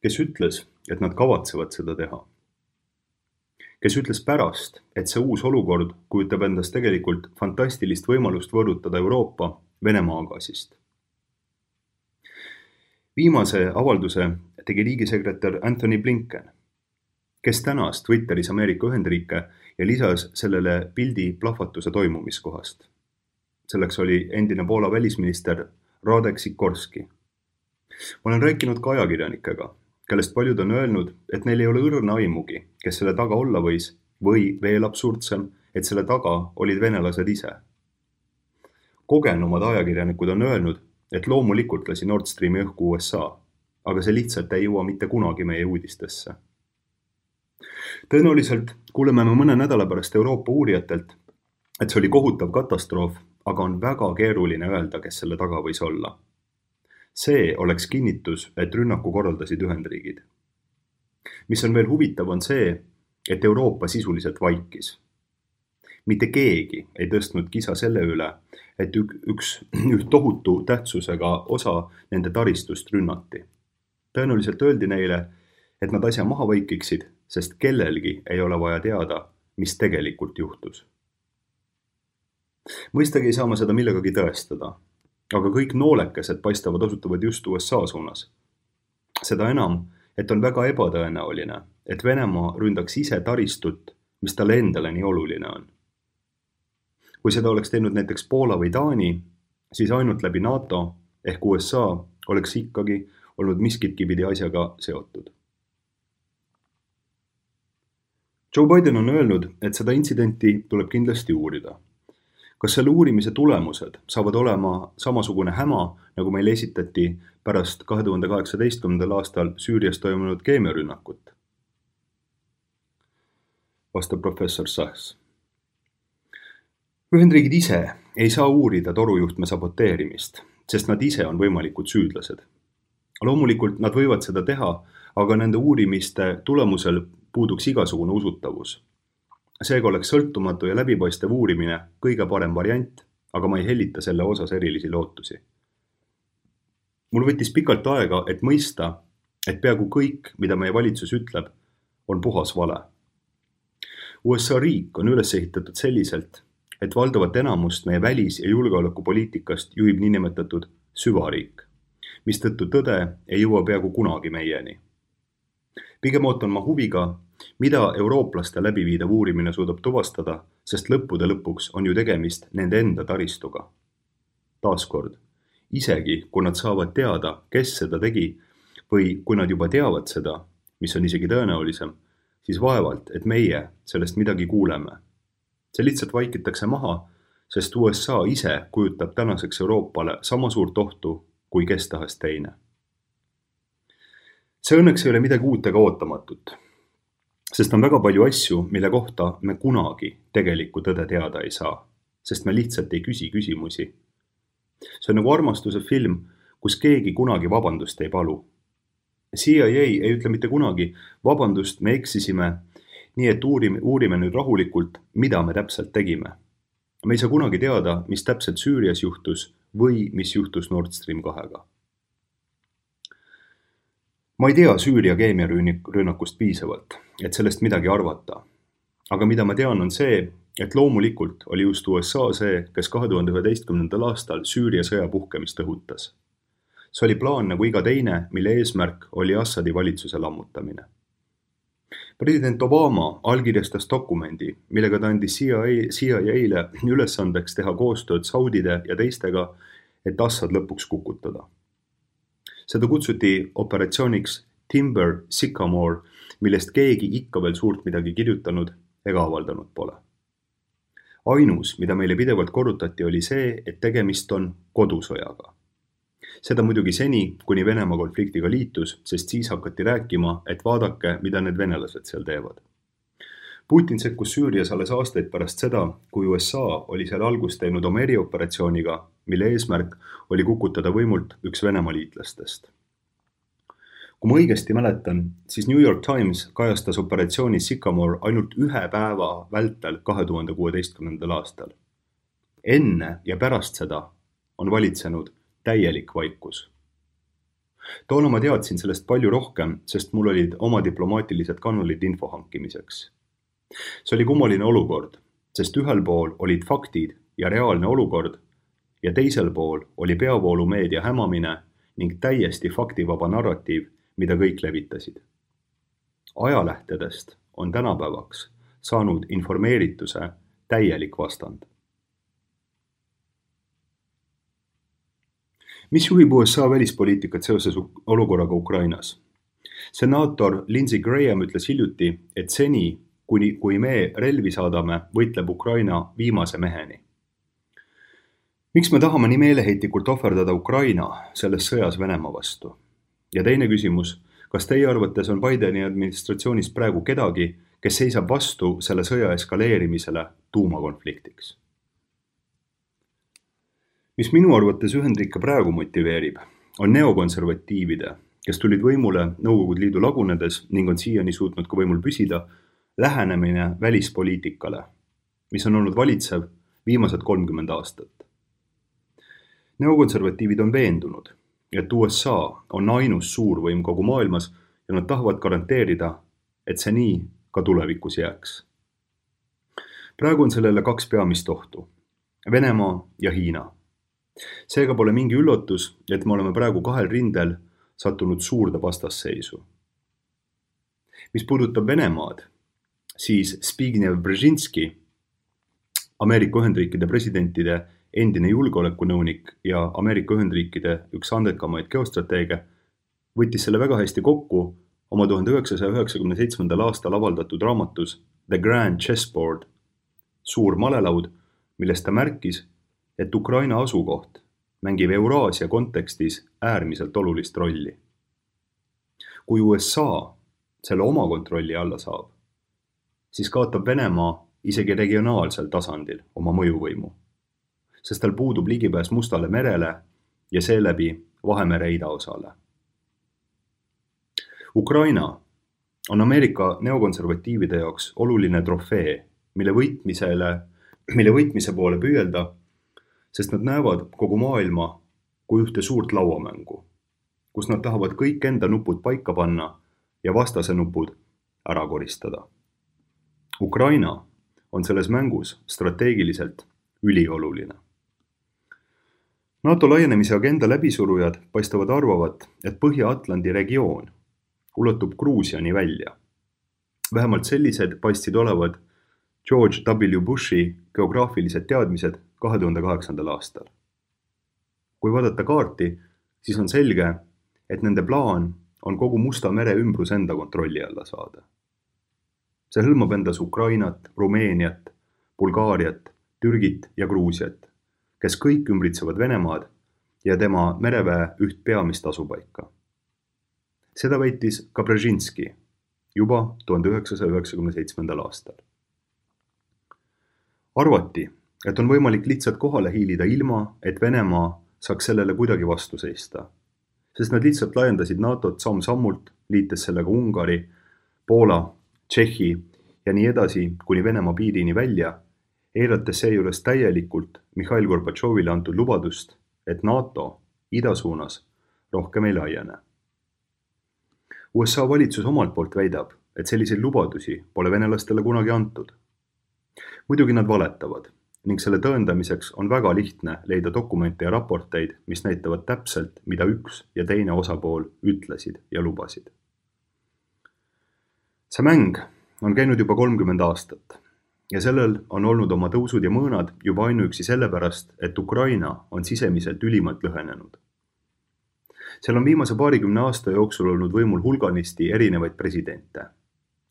Kes ütles, et nad kavatsevad seda teha? Kes ütles pärast, et see uus olukord kujutab endast tegelikult fantastilist võimalust võõrutada Euroopa Venemaa gaasist? Viimase avalduse tegi riigisekretär Antony Blinken, kes tänas Twitteris Ameerika Ühendriike ja lisas sellele pildi plahvatuse toimumiskohast. Selleks oli endine Poola välisminister Radek Sikorski. Ma olen rääkinud ka ajakirjanikega, kellest paljud on öelnud, et neil ei ole õrna aimugi, kes selle taga olla võis, või veel absurdsem, et selle taga olid venelased ise. Kogenumad ajakirjanikud on öelnud, et loomulikult lasi Nord Streami õhku USA, aga see lihtsalt ei jõua mitte kunagi meie uudistesse. Tõenäoliselt kuuleme me mõne nädala pärast Euroopa uurijatelt, et see oli kohutav katastroof, aga on väga keeruline öelda, kes selle taga võis olla. See oleks kinnitus, et rünnaku korraldasid Ühendriigid. Mis on veel huvitav, on see, et Euroopa sisuliselt vaikis. Mitte keegi ei tõstnud kisa selle üle, et üht tohutu tähtsusega osa nende taristust rünnati. Tõenäoliselt öeldi neile, et nad asja maha vaikiksid, sest kellelgi ei ole vaja teada, mis tegelikult juhtus. Mõistagi ei saa ma seda millegagi tõestada, aga kõik noolekesed paistavad osutavad just USA suunas. Seda enam, et on väga ebatõenäoline, et Venemaa ründaks ise taristut, mis talle endale nii oluline on. Kui seda oleks teinud näiteks Poola või Taani, siis ainult läbi NATO ehk USA oleks ikkagi olnud miskitki pidi asjaga seotud. Joe Biden on öelnud, et seda intsidenti tuleb kindlasti uurida. Kas selle uurimise tulemused saavad olema samasugune häma, nagu meile esitati pärast 2018. aastal Süürias toimunud keemiarünnakut? Vastab professor Sachs. Ühendriigid ise ei saa uurida torujuhtme saboteerimist, sest nad ise on võimalikud süüdlased. Loomulikult nad võivad seda teha, aga nende uurimiste tulemusel puuduks igasugune usutavus. Seega oleks sõltumatu ja läbipaistev uurimine kõige parem variant, aga ma ei hellita selle osas erilisi lootusi. Mul võttis pikalt aega, et mõista, et peaaegu kõik, mida meie valitsus ütleb, on puhas vale. USA riik on üles ehitatud selliselt, et valdavat enamust meie välis- ja julgeolekupoliitikast juhib niinimetatud süvariik, mistõttu tõde ei jõua peaaegu kunagi meieni. Pigem ootan ma huviga, mida eurooplaste läbiviidav uurimine suudab tuvastada, sest lõppude lõpuks on ju tegemist nende enda taristuga. Taaskord, isegi kui nad saavad teada, kes seda tegi, või kui nad juba teavad seda, mis on isegi tõenäolisem, siis vaevalt, et meie sellest midagi kuuleme. See lihtsalt vaikitakse maha, sest USA ise kujutab tänaseks Euroopale sama suurt ohtu kui kes tahes teine. See õnneks ei ole midagi uut ega ootamatut, sest on väga palju asju, mille kohta me kunagi tegelikku tõde teada ei saa, sest me lihtsalt ei küsi küsimusi. See on nagu armastuse film, kus keegi kunagi vabandust ei palu. CIA ei ütle mitte kunagi, vabandust, me eksisime, nii et uurime nüüd rahulikult, mida me täpselt tegime. Me ei saa kunagi teada, mis täpselt Süürias juhtus või mis juhtus Nord Stream 2-ga. Ma ei tea Süüria keemiarünnakust piisavalt, et sellest midagi arvata. Aga mida ma tean on see, et loomulikult oli just USA see, kes 2011. aastal Süüria sõja puhkemist õhutas. See oli plaan nagu iga teine, mille eesmärk oli Assadi valitsuse lammutamine. President Obama allkirjastas dokumendi, millega ta andis CIA-le ülesandeks teha koostööd Saudide ja teistega, et Assad lõpuks kukutada. Seda kutsuti operatsiooniks Timber Sycamore, millest keegi ikka veel suurt midagi kirjutanud ega avaldanud pole. Ainus, mida meile pidevalt korrutati, oli see, et tegemist on kodusõjaga. Seda muidugi seni, kuni Venemaa konfliktiga liitus, sest siis hakati rääkima, et vaadake, mida need venelased seal teevad. Putin sekkus Süürias alles aastaid pärast seda, kui USA oli seal algust teinud oma erioperatsiooniga, mille eesmärk oli kukutada võimult üks Venemaa liitlastest. Kui ma õigesti mäletan, siis New York Times kajastas operatsiooni Sycamore ainult 1 päeva vältel 2016. aastal. Enne ja pärast seda on valitsenud täielik vaikus. Toona ma teadsin sellest palju rohkem, sest mul olid oma diplomaatilised kanalid info hankimiseks. See oli kummaline olukord, sest ühel pool olid faktid ja reaalne olukord ja teisel pool oli peavoolumeedia hämamine ning täiesti faktivaba narratiiv, mida kõik levitasid. Ajalähtedest on tänapäevaks saanud informeerituse täielik vastand. Mis juhib USA välispoliitikat seoses olukorraga Ukrainas? Senaator Lindsey Graham ütles hiljuti, et seni, kui me relvi saadame, võitleb Ukraina viimase meheni. Miks me tahame nii meeleheitlikult ohverdada Ukraina selles sõjas Venemaa vastu? Ja teine küsimus, kas teie arvates on Bideni administratsioonis praegu kedagi, kes seisab vastu selle sõja eskaleerimisele tuumakonfliktiks? Mis minu arvates Ühendriike praegu motiveerib, on neokonservatiivide, kes tulid võimule Nõukogude Liidu lagunedes ning on siiani suutnud ka võimul püsida, lähenemine välispoliitikale, mis on olnud valitsev viimased 30 aastat. Neokonservatiivid on veendunud, et USA on ainus suurvõim kogu maailmas ja nad tahavad garanteerida, et see nii ka tulevikus jääks. Praegu on sellele 2 peamist ohtu, Venemaa ja Hiina. Seega pole mingi üllatus, et me oleme praegu 2 rindel sattunud suurde vastasseisu. Mis puudutab Venemaad, siis Zbigniew Brzezinski, Ameerika Ühendriikide presidentide endine julgeolekunõunik ja Ameerika Ühendriikide üks andekamaid geostrateege, võttis selle väga hästi kokku oma 1997. aastal avaldatud raamatus The Grand Chessboard, suur malelaud, millest ta märkis, et Ukraina asukoht mängib Euraasia kontekstis äärmiselt olulist rolli. Kui USA selle oma kontrolli alla saab, siis kaotab Venemaa isegi regionaalsel tasandil oma mõjuvõimu, sest tal puudub ligipääs Mustale merele ja seeläbi Vahemere idaosale. Ukraina on Ameerika neokonservatiivide jaoks oluline trofee, mille võitmise poole püüelda, sest nad näevad kogu maailma kui ühte suurt lauamängu, kus nad tahavad kõik enda nupud paika panna ja vastase nupud ära koristada. Ukraina on selles mängus strateegiliselt ülioluline. NATO laienemise agenda läbisurujad paistavad arvavat, et Põhja-Atlandi regioon ulatub Gruusiani välja. Vähemalt sellised paistsid olevad George W. Bushi geograafilised teadmised 2008. aastal. Kui vaadata kaarti, siis on selge, et nende plaan on kogu Musta mere ümbrus enda kontrolli alla saada. See hõlmab endas Ukrainat, Rumeeniat, Bulgaariat, Türgit ja Gruusiat, kes kõik ümbritsevad Venemaad ja tema mereväe üht peamist asupaika. Seda väitis ka Brzezinski juba 1997. aastal. Arvati, et on võimalik lihtsalt kohale hiilida ilma, et Venemaa saaks sellele kuidagi vastu seista, sest nad lihtsalt laiendasid NATO-t samm-sammult, liites sellega Ungari, Poola, Tšehhi ja nii edasi kuni Venemaa piirini välja, eirates seejuures täielikult Mihhail Gorbatšovile antud lubadust, et NATO idasuunas rohkem ei laiene. USA valitsus omalt poolt väidab, et selliseid lubadusi pole venelastele kunagi antud. Muidugi nad valetavad ning selle tõendamiseks on väga lihtne leida dokumente ja raporteid, mis näitavad täpselt, mida üks ja teine osapool ütlesid ja lubasid. See mäng on käinud juba 30 aastat ja sellel on olnud oma tõusud ja mõõnad juba ainuüksi sellepärast, et Ukraina on sisemiselt ülimalt lõhenenud. Seal on viimase 20 aasta jooksul olnud võimul hulganisti erinevaid presidente,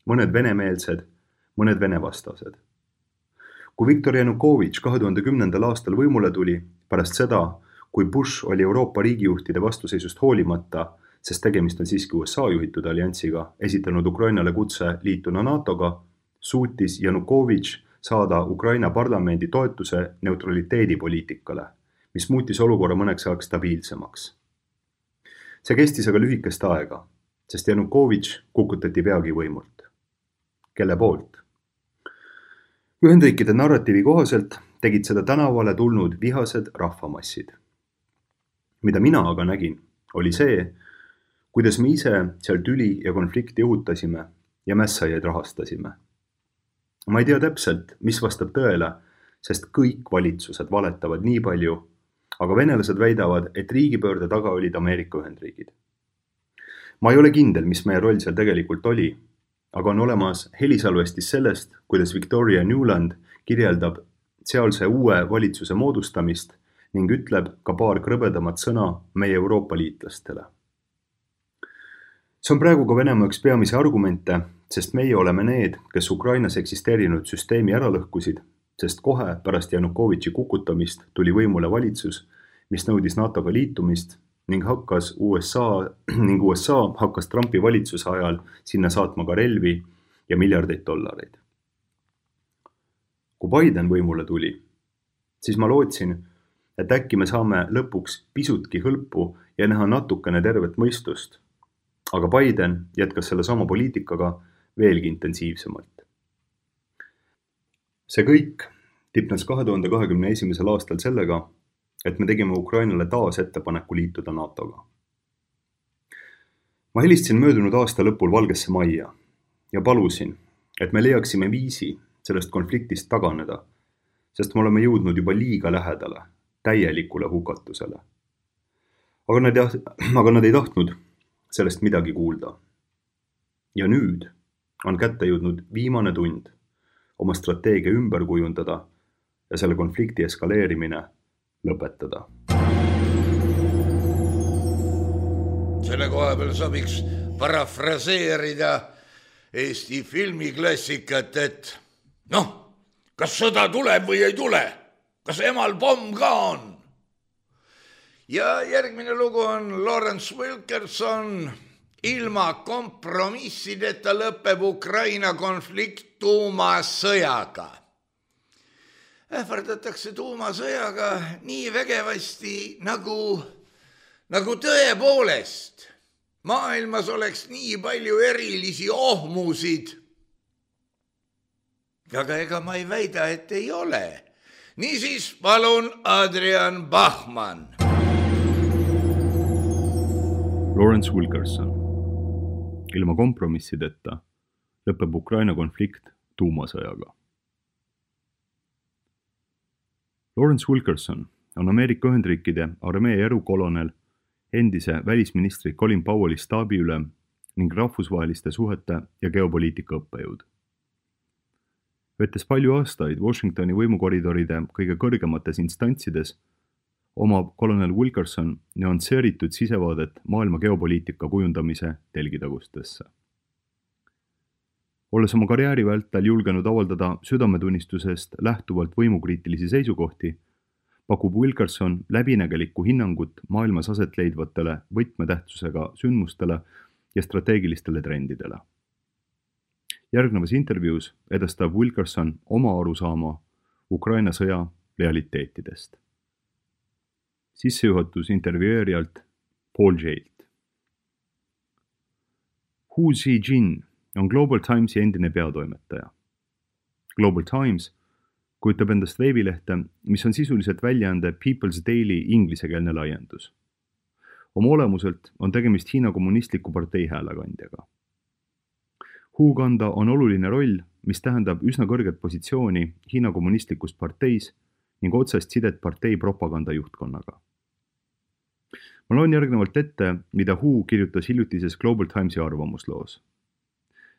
mõned venemeelsed, mõned venevastased. Kui Viktor Janukovitš 2010. aastal võimule tuli, pärast seda, kui Bush oli Euroopa riigijuhtide vastuseisust hoolimata, sest tegemist on siiski USA juhitud alliansiga, esitanud Ukrainale kutse liituna NATOga, suutis Janukovitš saada Ukraina parlamendi toetuse neutraliteedipoliitikale, mis muutis olukorra mõneks ajaks stabiilsemaks. See kestis aga lühikest aega, sest Janukovitš kukutati peagi võimult. Kelle poolt? Ühendriikide narratiivi kohaselt tegid seda tänavale tulnud vihased rahvamassid. Mida mina aga nägin, oli see, kuidas me ise seal tüli ja konflikti õhutasime ja mässajaid rahastasime. Ma ei tea täpselt, mis vastab tõele, sest kõik valitsused valetavad nii palju, aga venelased väidavad, et riigipöörde taga olid Ameerika Ühendriigid. Ma ei ole kindel, mis meie roll seal tegelikult oli, aga on olemas helisalvestis sellest, kuidas Victoria Nuland kirjeldab sealse uue valitsuse moodustamist ning ütleb ka paar krõbedamat sõna meie Euroopa liitlastele. See on praegu ka Venemaa üks peamisi argumente, sest meie oleme need, kes Ukrainas eksisteerinud süsteemi ära lõhkusid, sest kohe pärast Janukovitši kukutamist tuli võimule valitsus, mis nõudis NATOga liitumist ning USA hakkas Trumpi valitsuse ajal sinna saatma ka relvi ja miljardeid dollareid. Kui Biden võimule tuli, siis ma lootsin, et äkki me saame lõpuks pisutki hõlpu ja näha natukene tervet mõistust, aga Biden jätkas selle sama poliitikaga veelgi intensiivsemalt. See kõik tipnes 2021. aastal sellega, et me tegime Ukrainale taas ettepaneku liituda NATOga. Ma helistasin möödunud aasta lõpul Valgesse Majja ja palusin, et me leiaksime viisi sellest konfliktist taganeda, sest me oleme jõudnud juba liiga lähedale täielikule hukatusele. Aga nad ei tahtnud sellest midagi kuulda. Ja nüüd on kätte jõudnud viimane tund oma strateegia ümber kujundada ja selle konflikti eskaleerimine lõpetada. Selle koha peal sobiks parafraseerida Eesti filmiklassikat, et kas sõda tuleb või ei tule? Kas emal pomm ka on? Ja järgmine lugu on Lawrence Wilkerson. Ilma kompromissideta lõpeb Ukraina konflikt tuumasõjaga. Ähvardatakse tuumasõjaga nii vägevasti nagu tõepoolest. Maailmas oleks nii palju erilisi ohmusid. Aga ega ma ei väida, et ei ole. Niisiis palun Adrian Bachmann. Lawrence Wilkerson. Ilma kompromissideta lõpeb Ukraina konflikt tuumasõjaga. Lawrence Wilkerson on Ameerika Ühendriikide armee erukolonel, endise välisministri Colin Powelli staabiülem ning rahvusvaheliste suhete ja geopoliitika õppejõud. Vettes palju aastaid Washingtoni võimukoridoride kõige kõrgemates instantsides, omab kolonel Wilkerson nüansseeritud sisevaadet maailma geopoliitika kujundamise telgitagustesse. Olles oma karjääri vältel julgenud avaldada südametunnistusest lähtuvalt võimukriitilisi seisukohti, pakub Wilkerson läbinägelikku hinnangut maailmas aset leidvatele võtmetähtsusega sündmustele ja strateegilistele trendidele. Järgnevas intervjuus edastab Wilkerson oma arusaama Ukraina sõja realiteetidest. Sissejuhatus intervjueerijalt Paul Jailt. Hu Zijin on Global Timesi endine peatoimetaja. Global Times kujutab endast veebilehte, mis on sisuliselt väljaande People's Daily inglisekeelne laiendus. Oma olemuselt on tegemist Hiina kommunistliku partei häälekandjaga. Hu kanda on oluline roll, mis tähendab üsna kõrget positsiooni Hiina kommunistlikus parteis ning otsest sidet partei propaganda juhtkonnaga. Ma loen järgnevalt ette, mida Hu kirjutas hiljutises Global Timesi arvamusloos.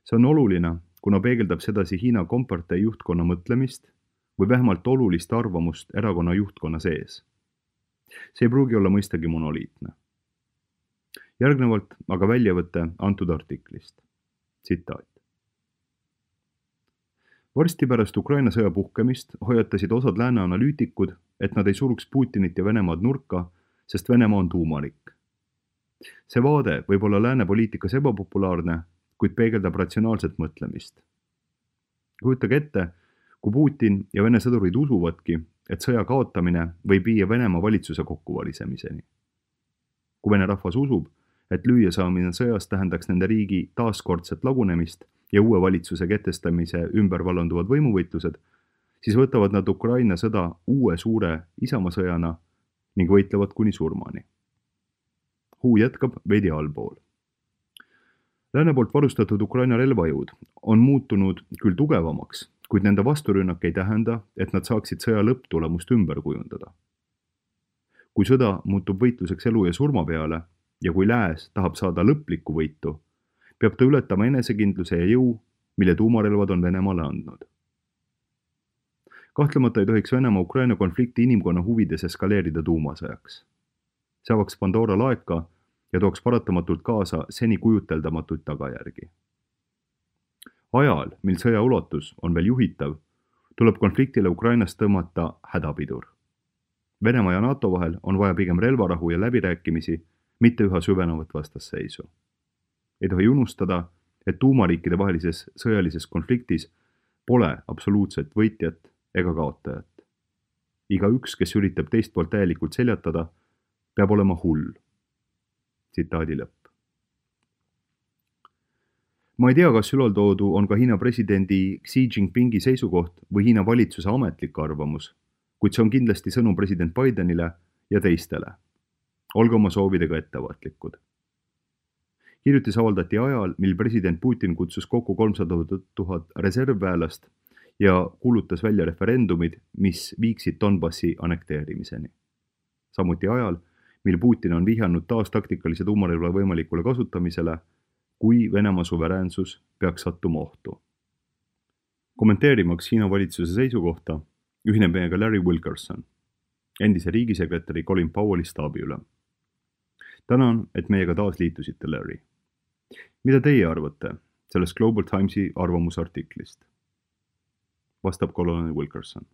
See on oluline, kuna peegeldab sedasi Hiina kompartei juhtkonna mõtlemist või vähemalt olulist arvamust erakonna juhtkonna sees. See ei pruugi olla mõistagi monoliitne. Järgnevalt aga väljavõte antud artiklist. Tsitaat. Varsti pärast Ukraina sõja puhkemist hoiatasid osad lääne analüütikud, et nad ei suruks Putinit ja Venemaad nurka, sest Venemaa on tuumariik. See vaade võib olla lääne poliitikas ebapopulaarne, kuid peegeldab ratsionaalset mõtlemist. Kujutage ette, kui Putin ja Vene sõdurid usuvadki, et sõja kaotamine võib viia Venemaa valitsuse kokkuvalisemiseni. Kui Vene rahvas usub, et lüüa saamine sõjas tähendaks nende riigi taaskordset lagunemist ja uue valitsuse kehtestamise ümber vallanduvad võimuvõitlused, siis võtavad nad Ukraina sõda uue suure isamasõjana ning võitlevad kuni surmani. Hu jätkab veidi allpool. Lääne poolt varustatud Ukraina relvajõud on muutunud küll tugevamaks, kuid nende vasturünnak ei tähenda, et nad saaksid sõja lõpptulemust ümber kujundada. Kui sõda muutub võitluseks elu ja surma peale ja kui lääs tahab saada lõplikku võitu, peab ta ületama enesekindluse ja jõu, mille tuumarelvad on Venemaale andnud. Kahtlemata ei tohiks Venemaa Ukraina konflikti inimkonna huvides eskaleerida tuumasõjaks. See avaks Pandora laeka ja tooks paratamatult kaasa seni kujuteldamatuid tagajärgi. Ajal, mil sõja ulatus on veel juhitav, tuleb konfliktile Ukrainas tõmmata hädapidur. Venemaa ja NATO vahel on vaja pigem relvarahu ja läbirääkimisi, mitte üha süvenevat vastasseisu. Ei tohi unustada, et tuumariikide vahelises sõjalises konfliktis pole absoluutset võitjat ega kaotajat. Igaüks, kes üritab teist poolt täielikult seljatada, peab olema hull. Tsitaadi lõpp. Ma ei tea, kas ülaltoodu on ka Hiina presidendi Xi Jinpingi seisukoht või Hiina valitsuse ametlik arvamus, kuid see on kindlasti sõnum president Bidenile ja teistele. Olge oma soovidega ettevaatlikud. Hiljutis avaldati ajal, mil president Putin kutsus kokku 300 000 reservväelast ja kuulutas välja referendumid, mis viiksid Donbassi annekteerimiseni. Samuti ajal, mil Putin on vihjanud taas taktikalise tuumarelva võimalikule kasutamisele, kui Venemaa suveräänsus peaks sattuma ohtu. Kommenteerimaks Hiina valitsuse seisukohta, ühineb meiega Larry Wilkerson, endise riigisekretäri Colin Powelli staabiülem. Tänan, et meiega taas liitusite, Larry. Mida teie arvate sellest Global Timesi arvamusartiklist? Vastab kolonel Wilkerson.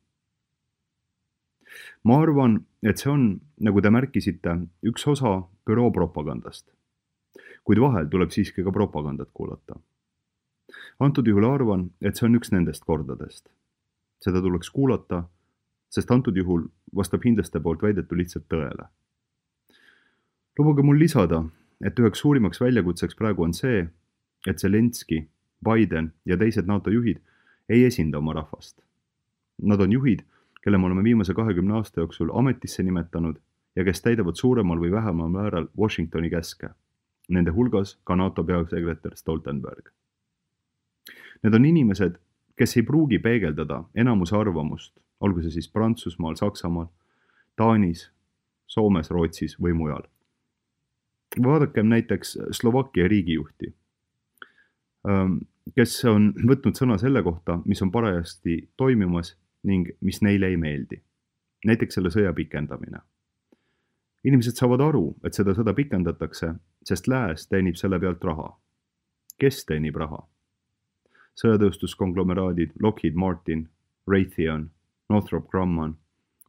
Ma arvan, et see on, nagu te märkisite, üks osa büroo propagandast. Kuid vahel tuleb siiski ka propagandat kuulata. Antud juhul arvan, et see on üks nendest kordadest. Seda tuleks kuulata, sest antud juhul vastab hindlaste poolt väidetu lihtsalt tõele. Lubage mul lisada, et üheks suurimaks väljakutseks praegu on see, et Zelenski, Biden ja teised NATO juhid ei esinda oma rahvast. Nad on juhid, kelle me oleme viimase 20 aasta jooksul ametisse nimetanud ja kes täidavad suuremal või vähemal määral Washingtoni käske. Nende hulgas ka NATO peasekretär Stoltenberg. Need on inimesed, kes ei pruugi peegeldada enamuse arvamust, olgu see siis Prantsusmaal, Saksamaal, Taanis, Soomes, Rootsis või mujal. Vaadakem näiteks Slovakkia riigijuhti, kes on võtnud sõna selle kohta, mis on parajasti toimimas ning mis neile ei meeldi. Näiteks selle sõja pikendamine. Inimesed saavad aru, et seda sõda pikendatakse, sest lääs teenib selle pealt raha. Kes teenib raha? Sõjatööstuskonglomeraadid Lockheed Martin, Raytheon, Northrop Grumman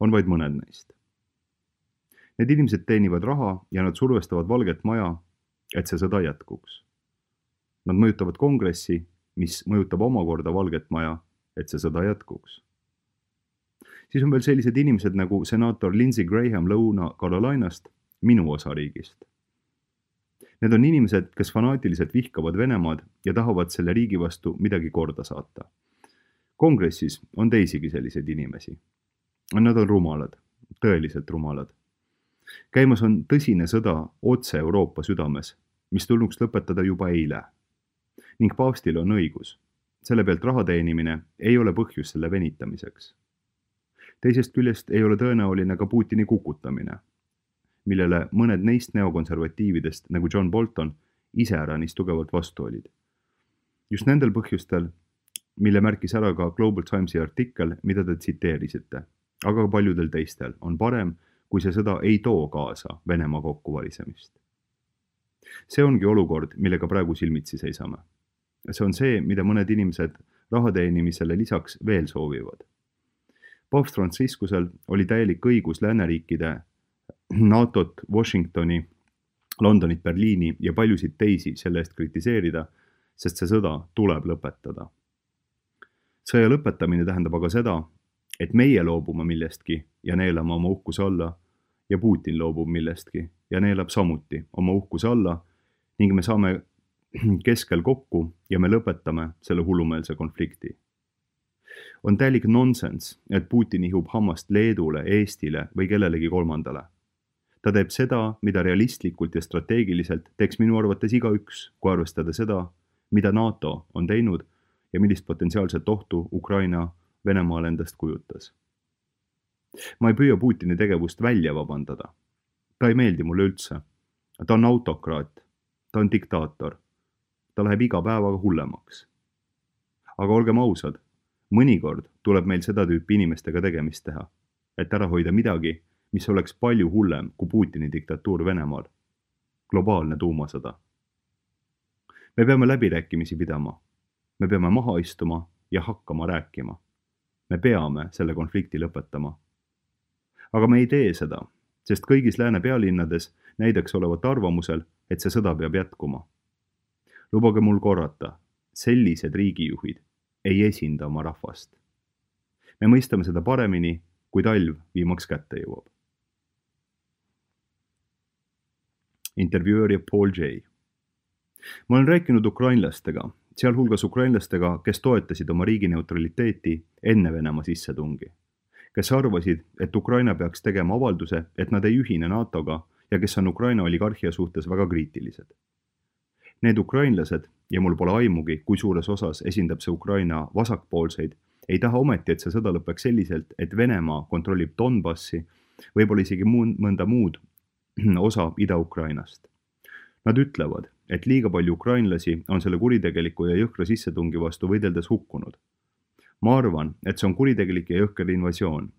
on vaid mõned neist. Need inimesed teenivad raha ja nad survestavad Valget Maja, et see sõda jätkuks. Nad mõjutavad kongressi, mis mõjutab omakorda Valget Maja, et see sõda jätkuks. Siis on veel sellised inimesed nagu senaator Lindsey Graham Lõuna-Carolinast, minu osariigist. Need on inimesed, kes fanaatiliselt vihkavad Venemaad ja tahavad selle riigi vastu midagi korda saata. Kongressis on teisigi selliseid inimesi. Nad on rumalad, tõeliselt rumalad. Käimas on tõsine sõda otse Euroopa südames, mis tulnuks lõpetada juba eile. Ning paavstil on õigus. Selle pealt raha teenimine ei ole põhjus selle venitamiseks. Teisest küljest ei ole tõenäoline ka Putini kukutamine, millele mõned neist neokonservatiividest nagu John Bolton iseäranis tugevalt vastu olid. Just nendel põhjustel, mille märkis ära ka Global Timesi artikkel, mida te tsiteerisite, aga paljudel teistel on parem, kui see sõda ei too kaasa Venemaa kokkuvalisemist. See ongi olukord, millega praegu silmitsi seisame. See on see, mida mõned inimesed raha teenimisele lisaks veel soovivad. Paavst Franciscusel oli täielik õigus lääneriikide NATOt, Washingtoni, Londonit, Berliini ja paljusid teisi selle eest kritiseerida, sest see sõda tuleb lõpetada. Sõja lõpetamine tähendab aga seda, et meie loobume millestki ja neelame oma uhkuse alla ja Putin loobub millestki ja neelab samuti oma uhkuse alla ning me saame keskel kokku ja me lõpetame selle hullumeelse konflikti. On täielik nonsense, et Putin ihub hammast Leedule, Eestile või kellelegi kolmandale. Ta teeb seda, mida realistlikult ja strateegiliselt teeks minu arvates igaüks, kui arvestada seda, mida NATO on teinud ja millist potentsiaalset ohtu Ukraina Venemaal endast kujutas. Ma ei püüa Putini tegevust välja vabandada. Ta ei meeldi mulle üldse. Ta on autokraat. Ta on diktaator. Ta läheb iga päevaga hullemaks. Aga olgem ausad, mõnikord tuleb meil seda tüüpi inimestega tegemist teha, et ära hoida midagi, mis oleks palju hullem kui Putini diktatuur Venemaal. Globaalne tuumasõda. Me peame läbirääkimisi pidama. Me peame maha istuma ja hakkama rääkima. Me peame selle konflikti lõpetama. Aga me ei tee seda, sest kõigis lääne pealinnades näidaks olevat arvamusel, et see sõda peab jätkuma. Lubage mul korrata, sellised riigijuhid ei esinda oma rahvast. Me mõistame seda paremini, kui talv viimaks kätte jõuab. Intervjueerija Paul J. Ma olen rääkinud ukrainlastega, sealhulgas ukrainlastega, kes toetasid oma riigi neutraliteeti enne Venemaa sissetungi, kes arvasid, et Ukraina peaks tegema avalduse, et nad ei ühine NATO-ga ja kes on Ukraina oligarhia suhtes väga kriitilised. Need ukrainlased, ja mul pole aimugi, kui suures osas esindab see Ukraina vasakpoolseid, ei taha ometi, et see sõda lõpeks selliselt, et Venemaa kontrollib Donbassi, võib-olla isegi mõnda muud osa Ida-Ukrainast. Nad ütlevad, et liiga palju ukrainlasi on selle kuritegeliku ja jõhkra sissetungi vastu võideldes hukkunud. Ma arvan, et see on kuritegelik ja jõhker invasioon.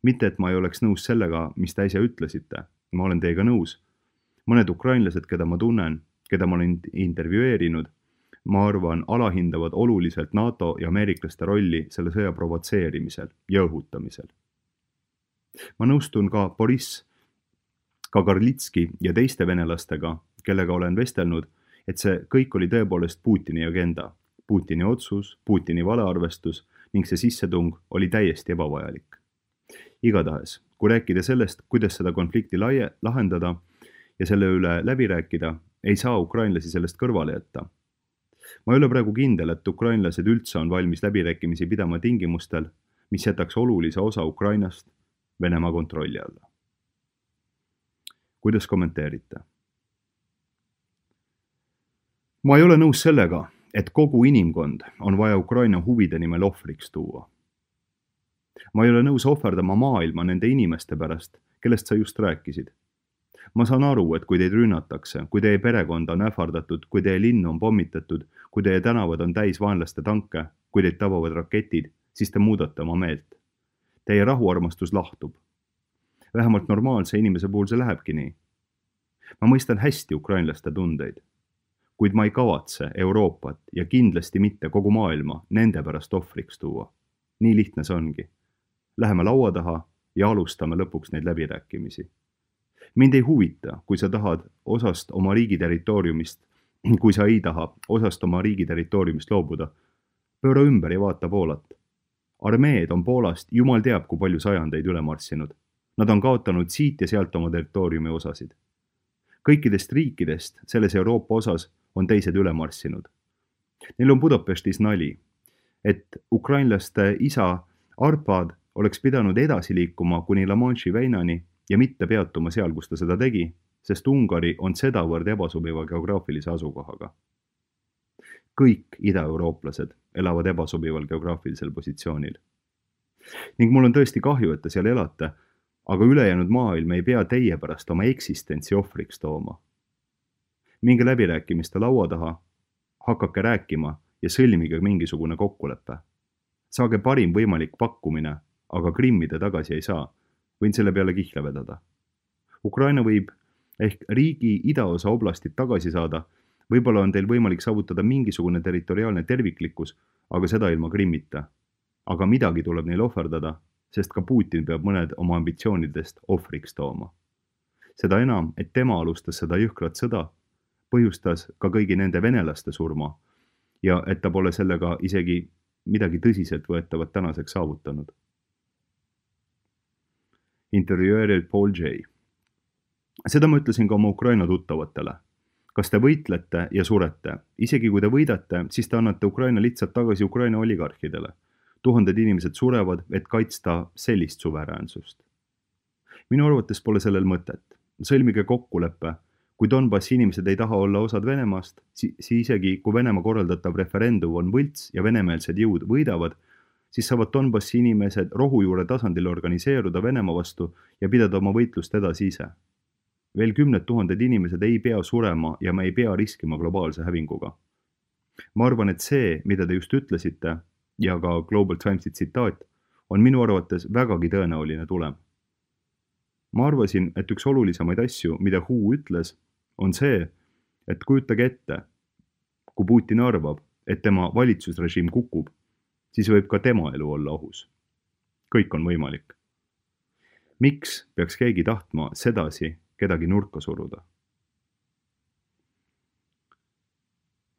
Mitte, et ma ei oleks nõus sellega, mis te äsja ütlesite. Ma olen teiega nõus. Mõned ukrainlased, keda ma tunnen, keda ma olen intervjueerinud, ma arvan, alahindavad oluliselt NATO ja ameeriklaste rolli selle sõja provotseerimisel ja õhutamisel. Ma nõustun ka Boriss Kagarlitski ja teiste venelastega, kellega olen vestelnud, et see kõik oli tõepoolest Putini agenda, Putini otsus, Putini valearvestus ning see sissetung oli täiesti ebavajalik. Igatahes, kui rääkida sellest, kuidas seda konflikti lahendada ja selle üle läbi rääkida, ei saa ukrainlasi sellest kõrvale jätta. Ma ei ole praegu kindel, et ukrainlased üldse on valmis läbirääkimisi pidama tingimustel, mis jätaks olulise osa Ukrainast Venemaa kontrolli alla. Kuidas kommenteerite? Ma ei ole nõus sellega, et kogu inimkond on vaja Ukraina huvide nimel ohvriks tuua. Ma ei ole nõus ohverdama maailma nende inimeste pärast, kellest sa just rääkisid. Ma saan aru, et kui teid rünnatakse, kui teie perekond on ähvardatud, kui teie linn on pommitatud, kui teie tänavad on täis vaenlaste tanke, kui teid tabavad raketid, siis te muudate oma meelt. Teie rahuarmastus lahtub. Vähemalt normaalse inimese puhul see lähebki nii. Ma mõistan hästi ukrainlaste tundeid, kuid ma ei kavatse Euroopat ja kindlasti mitte kogu maailma nende pärast ohvriks tuua. Nii lihtne see ongi. Läheme laua taha ja alustame lõpuks neid läbirääkimisi. Mind ei huvita, kui sa tahad osast oma riigi territooriumist, kui sa ei taha osast oma riigi territooriumist loobuda. Pööra ümber ja vaata Poolat. Armeed on Poolast jumal teab, kui palju sajandeid üle marssinud. Nad on kaotanud siit ja sealt oma territooriumi osasid. Kõikidest riikidest selles Euroopa osas on teised üle marssinud. Neil on Budapestis nali, et ukrainlaste isa Arpad oleks pidanud edasi liikuma kuni La Manche'i veinani ja mitte peatuma seal, kus ta seda tegi, sest Ungari on sedavõrd ebasobiva geograafilise asukohaga. Kõik ida-eurooplased elavad ebasobival geograafilisel positsioonil. Ning mul on tõesti kahju, et te seal elate, aga ülejäänud maailm ei pea teie pärast oma eksistentsi ohvriks tooma. Minge läbirääkimiste laua taha, hakake rääkima ja sõlmige mingisugune kokkulepe. Saage parim võimalik pakkumine, aga Krimmi te tagasi ei saa. Võin selle peale kihla vedada. Ukraina võib ehk riigi idaosa oblastit tagasi saada, võib-olla on teil võimalik saavutada mingisugune territoriaalne terviklikkus, aga seda ilma Krimmita. Aga midagi tuleb neil ohverdada, sest ka Putin peab mõned oma ambitsioonidest ohvriks tooma. Seda enam, et tema alustas seda jõhkrat sõda, põhjustas ka kõigi nende venelaste surma ja et ta pole sellega isegi midagi tõsiselt võetavat tänaseks saavutanud. Intervjueerilt Paul J. Seda ma ütlesin ka oma Ukraina tuttavatele. Kas te võitlete ja surete? Isegi kui te võidate, siis te annate Ukraina lihtsalt tagasi Ukraina oligarhidele. 1000 inimesed surevad, et kaitsta sellist suveräänsust. Minu arvates pole sellel mõtet. Sõlmige kokkuleppe. Kui Donbassi inimesed ei taha olla osad Venemaast, siis isegi kui Venemaa korraldatav referendum on võlts ja venemeelsed jõud võidavad, siis saavad Donbassi inimesed rohujuure tasandil organiseeruda Venemaa vastu ja pidada oma võitlust edasi ise. Veel 10 000 inimesed ei pea surema ja me ei pea riskima globaalse hävinguga. Ma arvan, et see, mida te just ütlesite, ja ka Global Timesi tsitaat, on minu arvates vägagi tõenäoline tulem. Ma arvasin, et üks olulisemaid asju, mida Hu ütles, on see, et kujutage ette, kui Putin arvab, et tema valitsusrežiim kukub, siis võib ka tema elu olla ohus. Kõik on võimalik. Miks peaks keegi tahtma sedasi kedagi nurka suruda?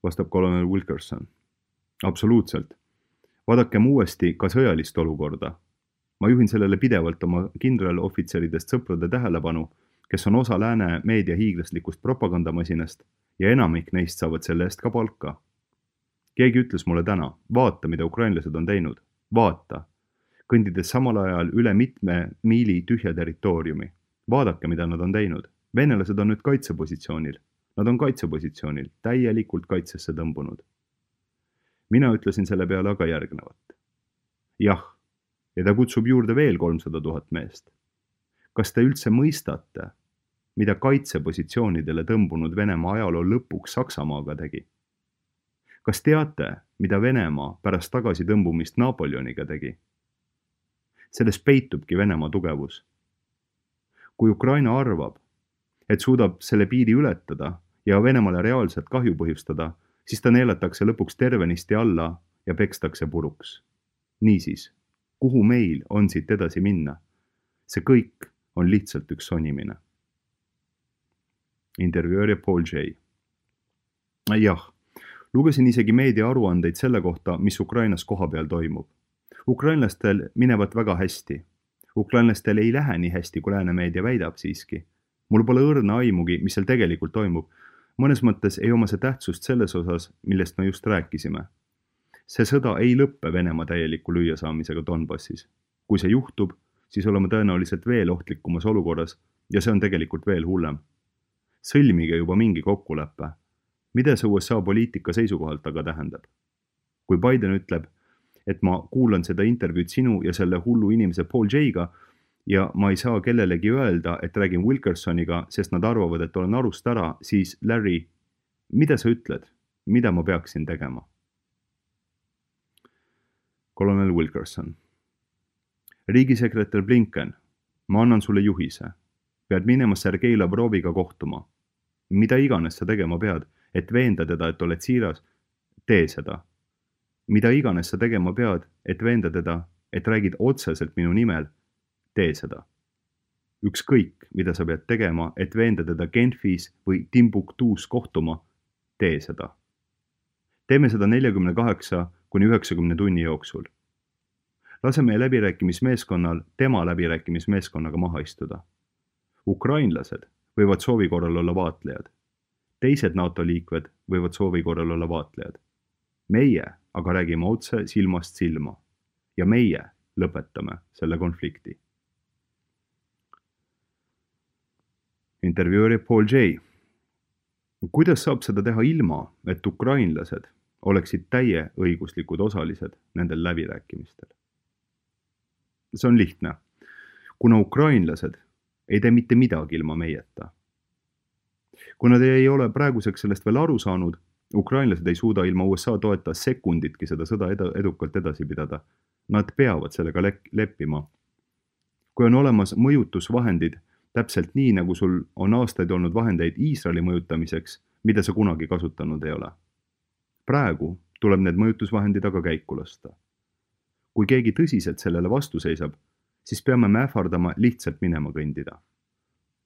Vastab kolonel Wilkerson. Absoluutselt. Vaadakem uuesti ka sõjalist olukorda. Ma juhin sellele pidevalt oma kindralohvitseridest sõprade tähelepanu, kes on osa lääne meedia hiiglaslikust propagandamasinast ja enamik neist saavad selle eest ka palka. Keegi ütles mulle täna, vaata, mida ukrainlased on teinud. Vaata, kõndides samal ajal üle mitme miili tühja territooriumi. Vaadake, mida nad on teinud. Venelased on nüüd kaitsepositsioonil. Nad on kaitsepositsioonil, täielikult kaitsesse tõmbunud. Mina ütlesin selle peale aga järgnevat. Jah, ja ta kutsub juurde veel 300 000 meest. Kas te üldse mõistate, mida kaitsepositsioonidele tõmbunud Venemaa ajaloo lõpuks Saksamaaga tegi? Kas teate, mida Venemaa pärast tagasi tõmbumist Napoleoniga tegi? Selles peitubki Venemaa tugevus. Kui Ukraina arvab, et suudab selle piiri ületada ja Venemaale reaalselt kahju põhjustada, siis ta neelatakse lõpuks tervenisti alla ja pekstakse puruks. Niisiis, kuhu meil on siit edasi minna? See kõik on lihtsalt üks sonimine. Intervjueerija Paul J. Jah, lugesin isegi meedia aruandeid selle kohta, mis Ukrainas kohapeal toimub. Ukrainlastel minevat väga hästi. Ukrainlastel ei lähe nii hästi, kui lääne meedia väidab siiski. Mul pole õrna aimugi, mis seal tegelikult toimub. Mõnes mõttes ei oma see tähtsust selles osas, millest me just rääkisime. See sõda ei lõppe Venemaa täieliku lüüasaamisega Donbassis. Kui see juhtub, siis oleme tõenäoliselt veel ohtlikumas olukorras ja see on tegelikult veel hullem. Sõlmige juba mingi kokkuleppe. Mida see USA poliitika seisukohalt aga tähendab? Kui Biden ütleb, et ma kuulan seda intervjuud sinu ja selle hullu inimese Paul J-ga ja ma ei saa kellelegi öelda, et räägin Wilkersoniga, sest nad arvavad, et olen arust ära, siis Larry, mida sa ütled? Mida ma peaksin tegema? Kolonel Wilkerson. Riigisekretär Blinken, ma annan sulle juhise. Pead minema Sergei Lavroviga kohtuma. Mida iganes sa tegema pead, et veenda teda, et oled siiras, tee seda. Mida iganes sa tegema pead, et veenda teda, et räägid otseselt minu nimel, tee seda. Ükskõik, mida sa pead tegema, et veenda teda Genfis või Timbuktuus kohtuma, tee seda. Teeme seda 48–90 tunni jooksul. Lase meie läbirääkimismeeskonnal tema läbirääkimismeeskonnaga maha istuda. Ukrainlased võivad soovi korral olla vaatlejad. Teised NATO liikmed võivad soovi korral olla vaatlejad. Meie aga räägime otse silmast silma ja meie lõpetame selle konflikti. Intervjueerija Paul J. Kuidas saab seda teha ilma, et ukrainlased oleksid täieõiguslikud osalised nendel läbirääkimistel? See on lihtne, kuna ukrainlased ei tee mitte midagi ilma meieta. Kui nad ei ole praeguseks sellest veel aru saanud, ukrainlased ei suuda ilma USA toeta sekunditki seda sõda edukalt edasi pidada. Nad peavad sellega leppima. Kui on olemas mõjutusvahendid, täpselt nii, nagu sul on aastaid olnud vahendeid Iisraeli mõjutamiseks, mida sa kunagi kasutanud ei ole. Praegu tuleb need mõjutusvahendid aga käiku lasta. Kui keegi tõsiselt sellele vastu seisab, siis peame me ähvardama lihtsalt minema kõndida.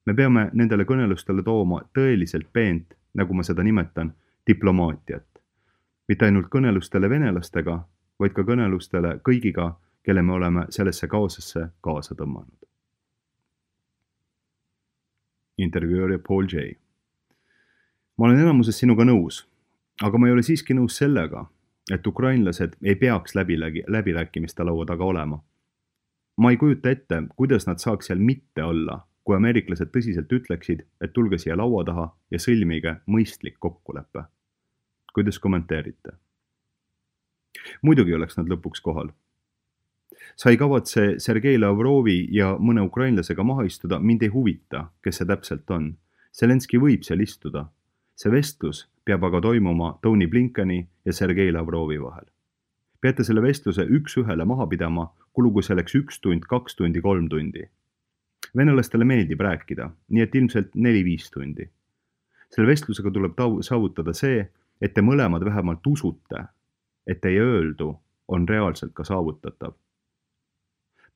Me peame nendele kõnelustele tooma tõeliselt peent, nagu ma seda nimetan, diplomaatiat. Mitte ainult kõnelustele venelastega, vaid ka kõnelustele kõigiga, kelle me oleme sellesse kaosesse kaasa tõmmanud. Intervjueerija Paul J. Ma olen enamuses sinuga nõus, aga ma ei ole siiski nõus sellega, et ukrainlased ei peaks läbirääkimiste laua taga olema. Ma ei kujuta ette, kuidas nad saaks seal mitte olla, kui ameeriklased tõsiselt ütleksid, et tulge siia laua taha ja sõlmige mõistlik kokkulepe. Kuidas kommenteerite? Muidugi oleks nad lõpuks kohal. Sa ei kavatse Sergei Lavrovi ja mõne ukrainlasega maha istuda, mind ei huvita, kes see täpselt on. Zelenski võib seal istuda. See vestlus peab aga toimuma Tony Blinkeni ja Sergei Lavrovi vahel. Peate selle vestluse üks-ühele maha pidama, kulugu selleks 1 tund, 2 tundi, 3 tundi. Venelastele meeldib rääkida, nii et ilmselt 4-5 tundi. Selle vestlusega tuleb saavutada see, et te mõlemad vähemalt usute, et teie öeldu on reaalselt ka saavutatav.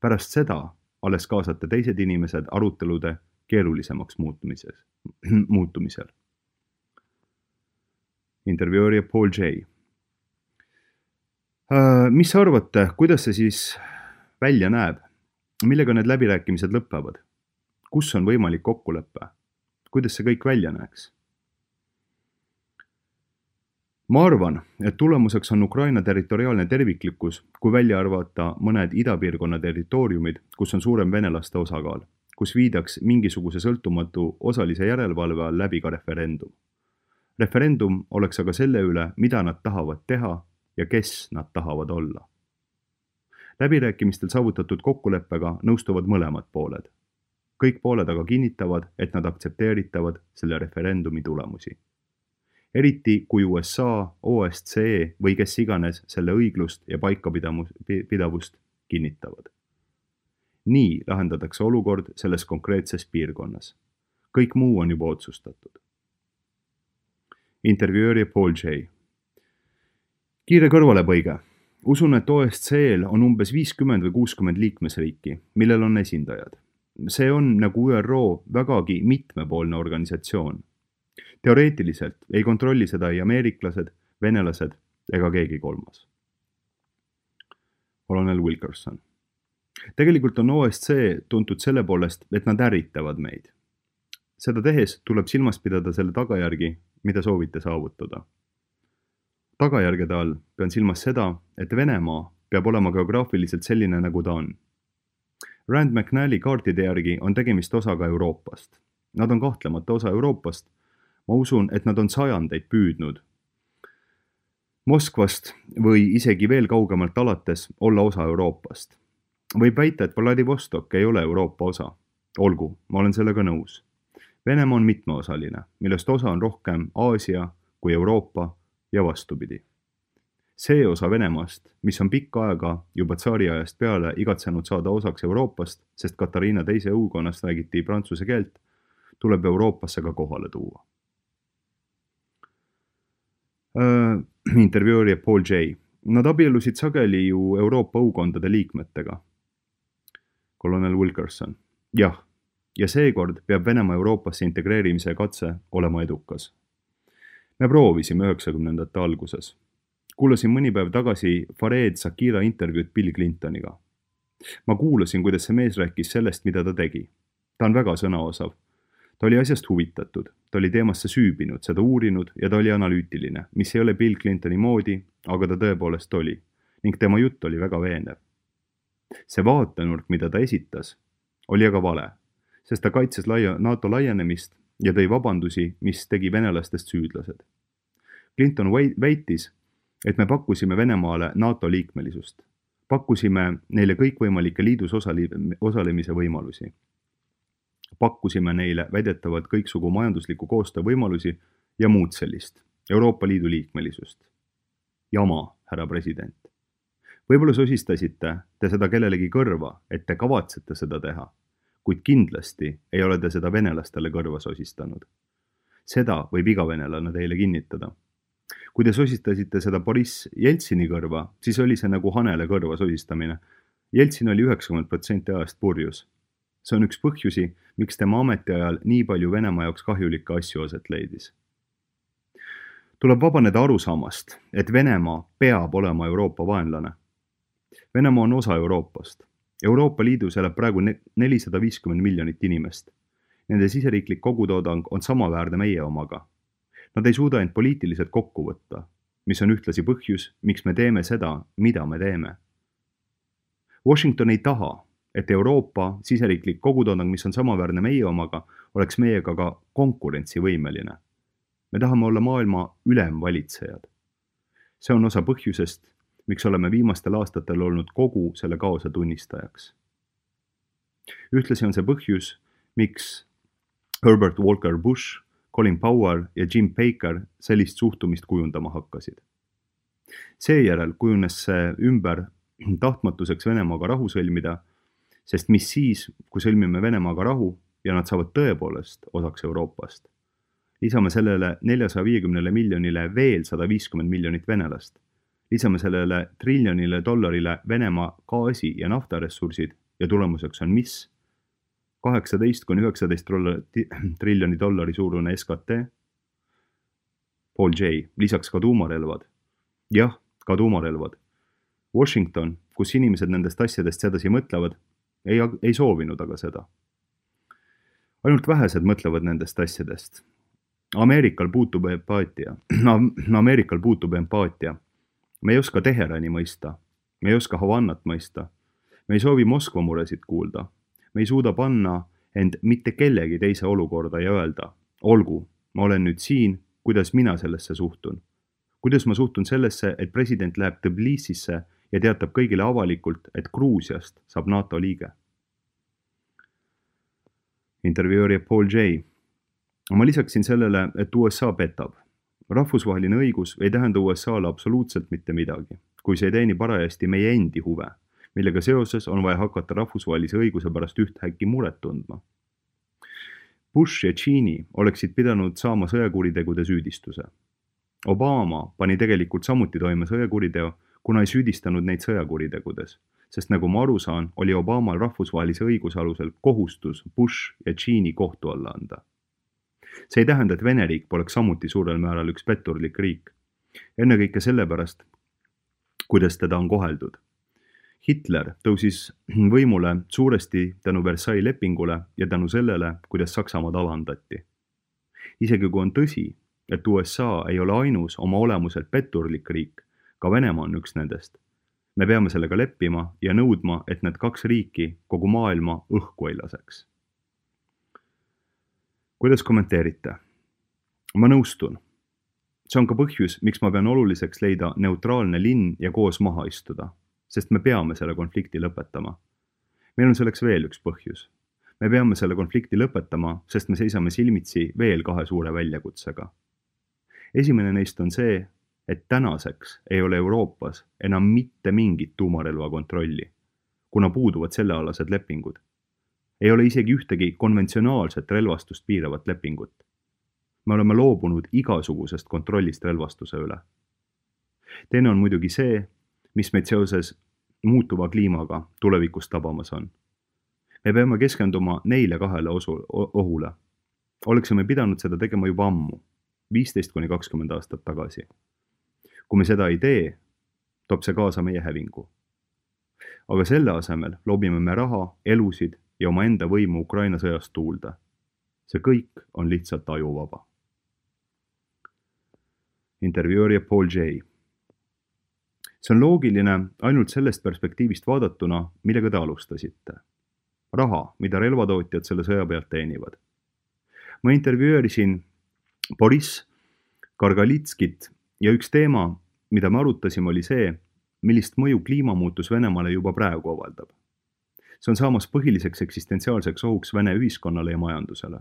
Pärast seda alles kaasate teised inimesed arutelude keerulisemaks muutumisel. Intervjueerija Paul J. Mis arvate, kuidas see siis välja näeb? Millega need läbirääkimised lõpevad? Kus on võimalik kokkulepe? Kuidas see kõik välja näeks? Ma arvan, et tulemuseks on Ukraina territoriaalne terviklikkus, kui välja arvata mõned idapiirkonna territooriumid, kus on suurem venelaste osakaal, kus viidaks mingisuguse sõltumatu osalise järelevalve all läbi ka referendum. Referendum oleks aga selle üle, mida nad tahavad teha ja kes nad tahavad olla. Läbirääkimistel saavutatud kokkuleppega nõustuvad mõlemad pooled. Kõik pooled aga kinnitavad, et nad aktsepteeritavad selle referendumi tulemusi. Eriti kui USA, OSCE või kes iganes selle õiglust ja paikapidavust kinnitavad. Nii lahendatakse olukord selles konkreetses piirkonnas. Kõik muu on juba otsustatud. Intervjueerija Paul J. Kiire kõrvalepõige. Usun, et OSCE-l on umbes 50 või 60 liikmesriiki, millel on esindajad. See on nagu ÜRO vägagi mitmepoolne organisatsioon. Teoreetiliselt ei kontrolli seda ei ameeriklased, venelased ega keegi kolmas. Colonel Wilkerson. Tegelikult on OSCE tuntud selle poolest, et nad ärritavad meid. Seda tehes tuleb silmas pidada selle tagajärgi, mida soovite saavutada. Tagajärgede all pean silmas seda, et Venemaa peab olema geograafiliselt selline, nagu ta on. Rand McNally kaartide järgi on tegemist osaga Euroopast. Nad on kahtlemata osa Euroopast. Ma usun, et nad on sajandeid püüdnud Moskvast või isegi veel kaugemalt alates olla osa Euroopast. Võib väita, et Vladivostok ei ole Euroopa osa. Olgu, ma olen sellega nõus. Venemaa on mitmeosaline, millest osa on rohkem Aasia kui Euroopa ja vastupidi. See osa Venemaast, mis on pikka aega juba tsaariajast peale igatsenud saada osaks Euroopast, sest Katariina teise õukonnast räägiti prantsuse keelt, tuleb Euroopasse ka kohale tuua. Intervjueerija Paul J. Nad abielusid sageli ju Euroopa õukondade liikmetega. Colonel Wilkerson. Jah, ja seekord peab Venemaa Euroopasse integreerimise katse olema edukas. Me proovisime 90ndate alguses. Kuulasin mõni päev tagasi Fareed Zakira intervjuud Bill Clintoniga. Ma kuulasin, kuidas see mees rääkis sellest, mida ta tegi. Ta on väga sõnaosav. Ta oli asjast huvitatud, ta oli teemasse süübinud, seda uurinud ja ta oli analüütiline, mis ei ole Bill Clintoni moodi, aga ta tõepoolest oli, ning tema jutt oli väga veenev. See vaatenurk, mida ta esitas, oli aga vale, sest ta kaitses NATO laienemist ja tõi vabandusi, mis tegi venelastest süüdlased. Clinton väitis, et me pakkusime Venemaale NATO liikmelisust. Pakkusime neile kõikvõimalike liidus osalemise võimalusi. Pakkusime neile väidetavalt kõiksugu majandusliku koostöö võimalusi ja muud sellist, Euroopa Liidu liikmelisust. Jama, härra president. Võib-olla sosistasite te seda kellelegi kõrva, et te kavatsete seda teha, kuid kindlasti ei ole te seda venelastele kõrva sosistanud. Seda võib iga venelane teile kinnitada. Kui te sosistasite seda Boris Jeltsini kõrva, siis oli see nagu hanele kõrva sosistamine. Jeltsin oli 90% ajast purjus. See on üks põhjusi, miks tema ametiajal nii palju Venemaa jaoks kahjulikke asju aset leidis. Tuleb vabaneda arusaamast, et Venemaa peab olema Euroopa vaenlane. Venemaa on osa Euroopast. Euroopa Liidus elab praegu 450 miljonit inimest. Nende siseriiklik kogutoodang on samaväärne meie omaga. Nad ei suuda end poliitiliselt kokku võtta, mis on ühtlasi põhjus, miks me teeme seda, mida me teeme. Washington ei taha, et Euroopa siseriiklik kogutoodang, mis on samaväärne meie omaga, oleks meiega ka konkurentsivõimeline. Me tahame olla maailma ülemvalitsejad. See on osa põhjusest, miks oleme viimastel aastatel olnud kogu selle kaose tunnistajaks. Ühtlasi on see põhjus, miks Herbert Walker Bush, Colin Powell ja Jim Baker sellist suhtumist kujundama hakkasid. Seejärel kujunes see ümber tahtmatuseks Venemaaga rahu sõlmida, sest mis siis, kui sõlmime Venemaaga rahu ja nad saavad tõepoolest osaks Euroopast. Lisame sellele 450 miljonile veel 150 miljonit venelast. Lisame sellele triljonile dollarile Venemaa gaasi- ja naftaressursid ja tulemuseks on mis? 18–19 triljoni dollari suurune SKT. Paul J. Lisaks ka tuumarelvad. Jah, ka tuumarelvad. Washington, kus inimesed nendest asjadest sedasi mõtlevad, ei soovinud aga seda. Ainult vähesed mõtlevad nendest asjadest. Ameerikal puutub empaatia. Me ei oska Teherani mõista. Me ei oska Havannat mõista. Me ei soovi Moskva muresid kuulda. Me ei suuda panna end mitte kellegi teise olukorda ja öelda, olgu, ma olen nüüd siin, kuidas mina sellesse suhtun. Kuidas ma suhtun sellesse, et president läheb Tbilisisse ja teatab kõigile avalikult, et Gruusiast saab NATO liige. Intervjueerija Paul J. Ma lisaksin sellele, et USA petab. Rahvusvaheline õigus ei tähenda USA-le absoluutselt mitte midagi, kui see ei teeni parajasti meie endi huve, millega seoses on vaja hakata rahvusvahelise õiguse pärast ühthäkki muret tundma. Bush ja Cheney oleksid pidanud saama sõjakuritegude süüdistuse. Obama pani tegelikult samuti toime sõjakuriteo, kuna ei süüdistanud neid sõjakuritegudes, sest nagu ma aru saan, oli Obamal rahvusvahelise õiguse alusel kohustus Bush ja Cheney kohtu alla anda. See ei tähenda, et Vene riik poleks samuti suurel määral üks petturlik riik. Ennekõike sellepärast, kuidas teda on koheldud. Hitler tõusis võimule suuresti tänu Versailles lepingule ja tänu sellele, kuidas Saksamaad alandati. Isegi kui on tõsi, et USA ei ole ainus oma olemuselt petturlik riik, ka Venemaa on üks nendest. Me peame sellega leppima ja nõudma, et need kaks riiki kogu maailma õhku ei laseks. Kuidas kommenteerite? Ma nõustun. See on ka põhjus, miks ma pean oluliseks leida neutraalne linn ja koos maha istuda, sest me peame selle konflikti lõpetama. Meil on selleks veel üks põhjus. Me peame selle konflikti lõpetama, sest me seisame silmitsi veel 2 suure väljakutsega. Esimene neist on see, et tänaseks ei ole Euroopas enam mitte mingit tuumarelva kontrolli, kuna puuduvad sellealased lepingud. Ei ole isegi ühtegi konventsionaalset relvastust piiravat lepingut. Me oleme loobunud igasugusest kontrollist relvastuse üle. Teine on muidugi see, mis meid seoses muutuva kliimaga tulevikus tabamas on. Me peame keskenduma neile 2 ohule. Oleksime pidanud seda tegema juba ammu, 15–20 aastat tagasi. Kui me seda ei tee, toob see kaasa meie hävingu. Aga selle asemel loobime me raha, elusid ja oma enda võimu Ukraina sõjast tuulda. See kõik on lihtsalt ajuvaba. Intervjueerija Paul J. See on loogiline ainult sellest perspektiivist vaadatuna, millega te alustasite. Raha, mida relvatootjad selle sõja pealt teenivad. Ma intervjueerisin Boris Kargalitskit ja üks teema, mida me arutasime, oli see, millist mõju kliimamuutus Venemaale juba praegu avaldab. See on saamas põhiliseks eksistentsiaalseks ohuks Vene ühiskonnale ja majandusele.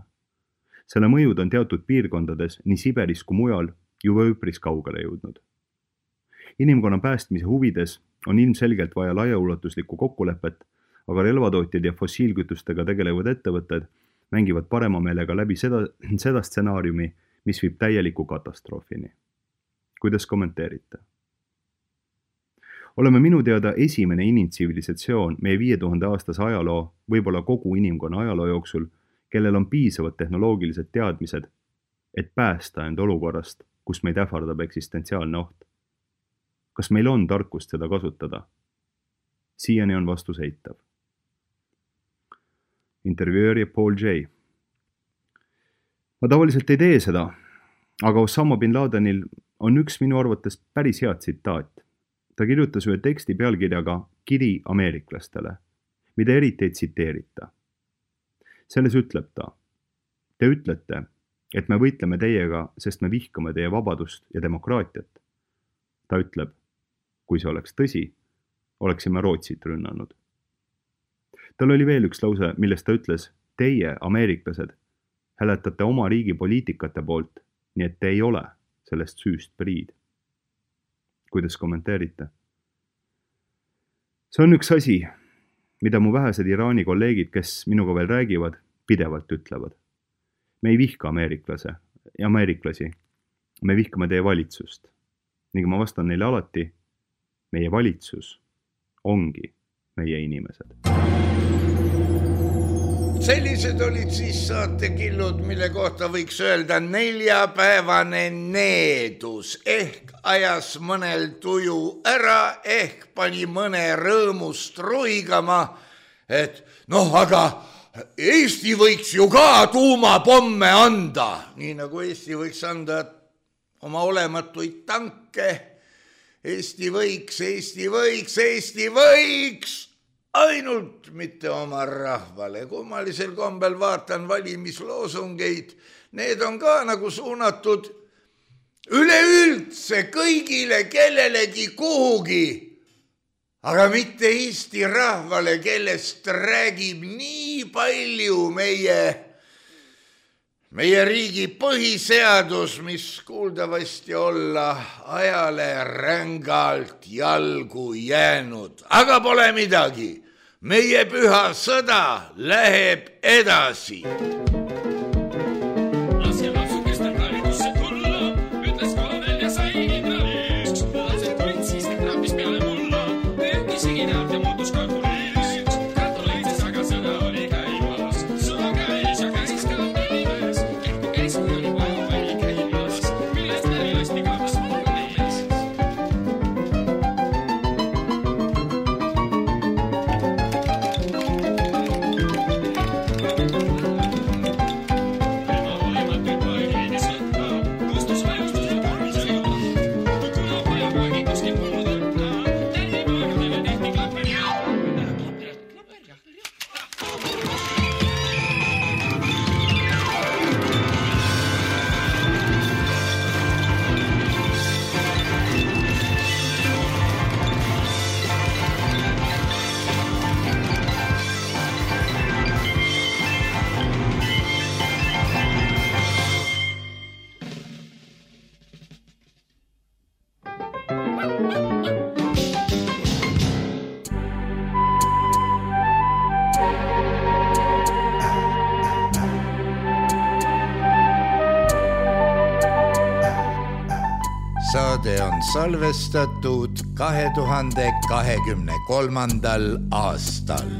Selle mõjud on teatud piirkondades nii Siberis kui mujal juba üpris kaugele jõudnud. Inimkonna päästmise huvides on ilmselgelt vaja laiaulatuslikku kokkulepet, aga relvatootjad ja fossiilkütustega tegelevad ettevõtted mängivad parema meelega läbi seda stsenaariumi, mis viib täieliku katastroofini. Kuidas kommenteerite? Oleme minu teada esimene inimtsivilisatsioon meie 5000 aastase ajaloo, võib-olla kogu inimkonna ajaloo jooksul, kellel on piisavad tehnoloogilised teadmised, et päästa end olukorrast, kus meid ähvardab eksistentsiaalne oht. Kas meil on tarkust seda kasutada? Siiani on vastus eitav. Intervjueerija Paul J. Ma tavaliselt ei tee seda, aga Osama bin Ladenil on üks minu arvates päris hea tsitaat. Ta kirjutas ühe teksti pealkirjaga Kiri ameeriklastele, mida eriti ei tsiteerita. Selles ütleb ta, te ütlete, et me võitleme teiega, sest me vihkame teie vabadust ja demokraatiat. Ta ütleb, kui see oleks tõsi, oleksime Rootsit rünnanud. Tal oli veel üks lause, millest ta ütles, teie, ameeriklased, hääletate oma riigi poliitikate poolt, nii et te ei ole sellest süüst priid. Kuidas kommenteerite? See on üks asi, mida mu vähesed Iraani kolleegid, kes minuga veel räägivad, pidevalt ütlevad. Me ei vihka ameeriklasi, me vihkame teie valitsust. Ning ma vastan neile alati, meie valitsus ongi meie inimesed. Sellised olid siis saatekillud, mille kohta võiks öelda 4-päevane needus ehk ajas mõnel tuju ära ehk pani mõne rõõmust ruigama, et noh, aga Eesti võiks ju ka tuumapomme anda, nii nagu Eesti võiks anda oma olematuid tanke. Eesti võiks, ainult mitte oma rahvale. Kummalisel kombel vaatan valimisloosungeid, need on ka nagu suunatud üleüldse kõigile kellelegi kuhugi, aga mitte Eesti rahvale, kellest räägib nii palju meie riigi põhiseadus, mis kuuldavasti olla ajale rängalt jalgu jäänud. Aga pole midagi, meie püha sõda läheb edasi. Saade on salvestatud 2023. aastal.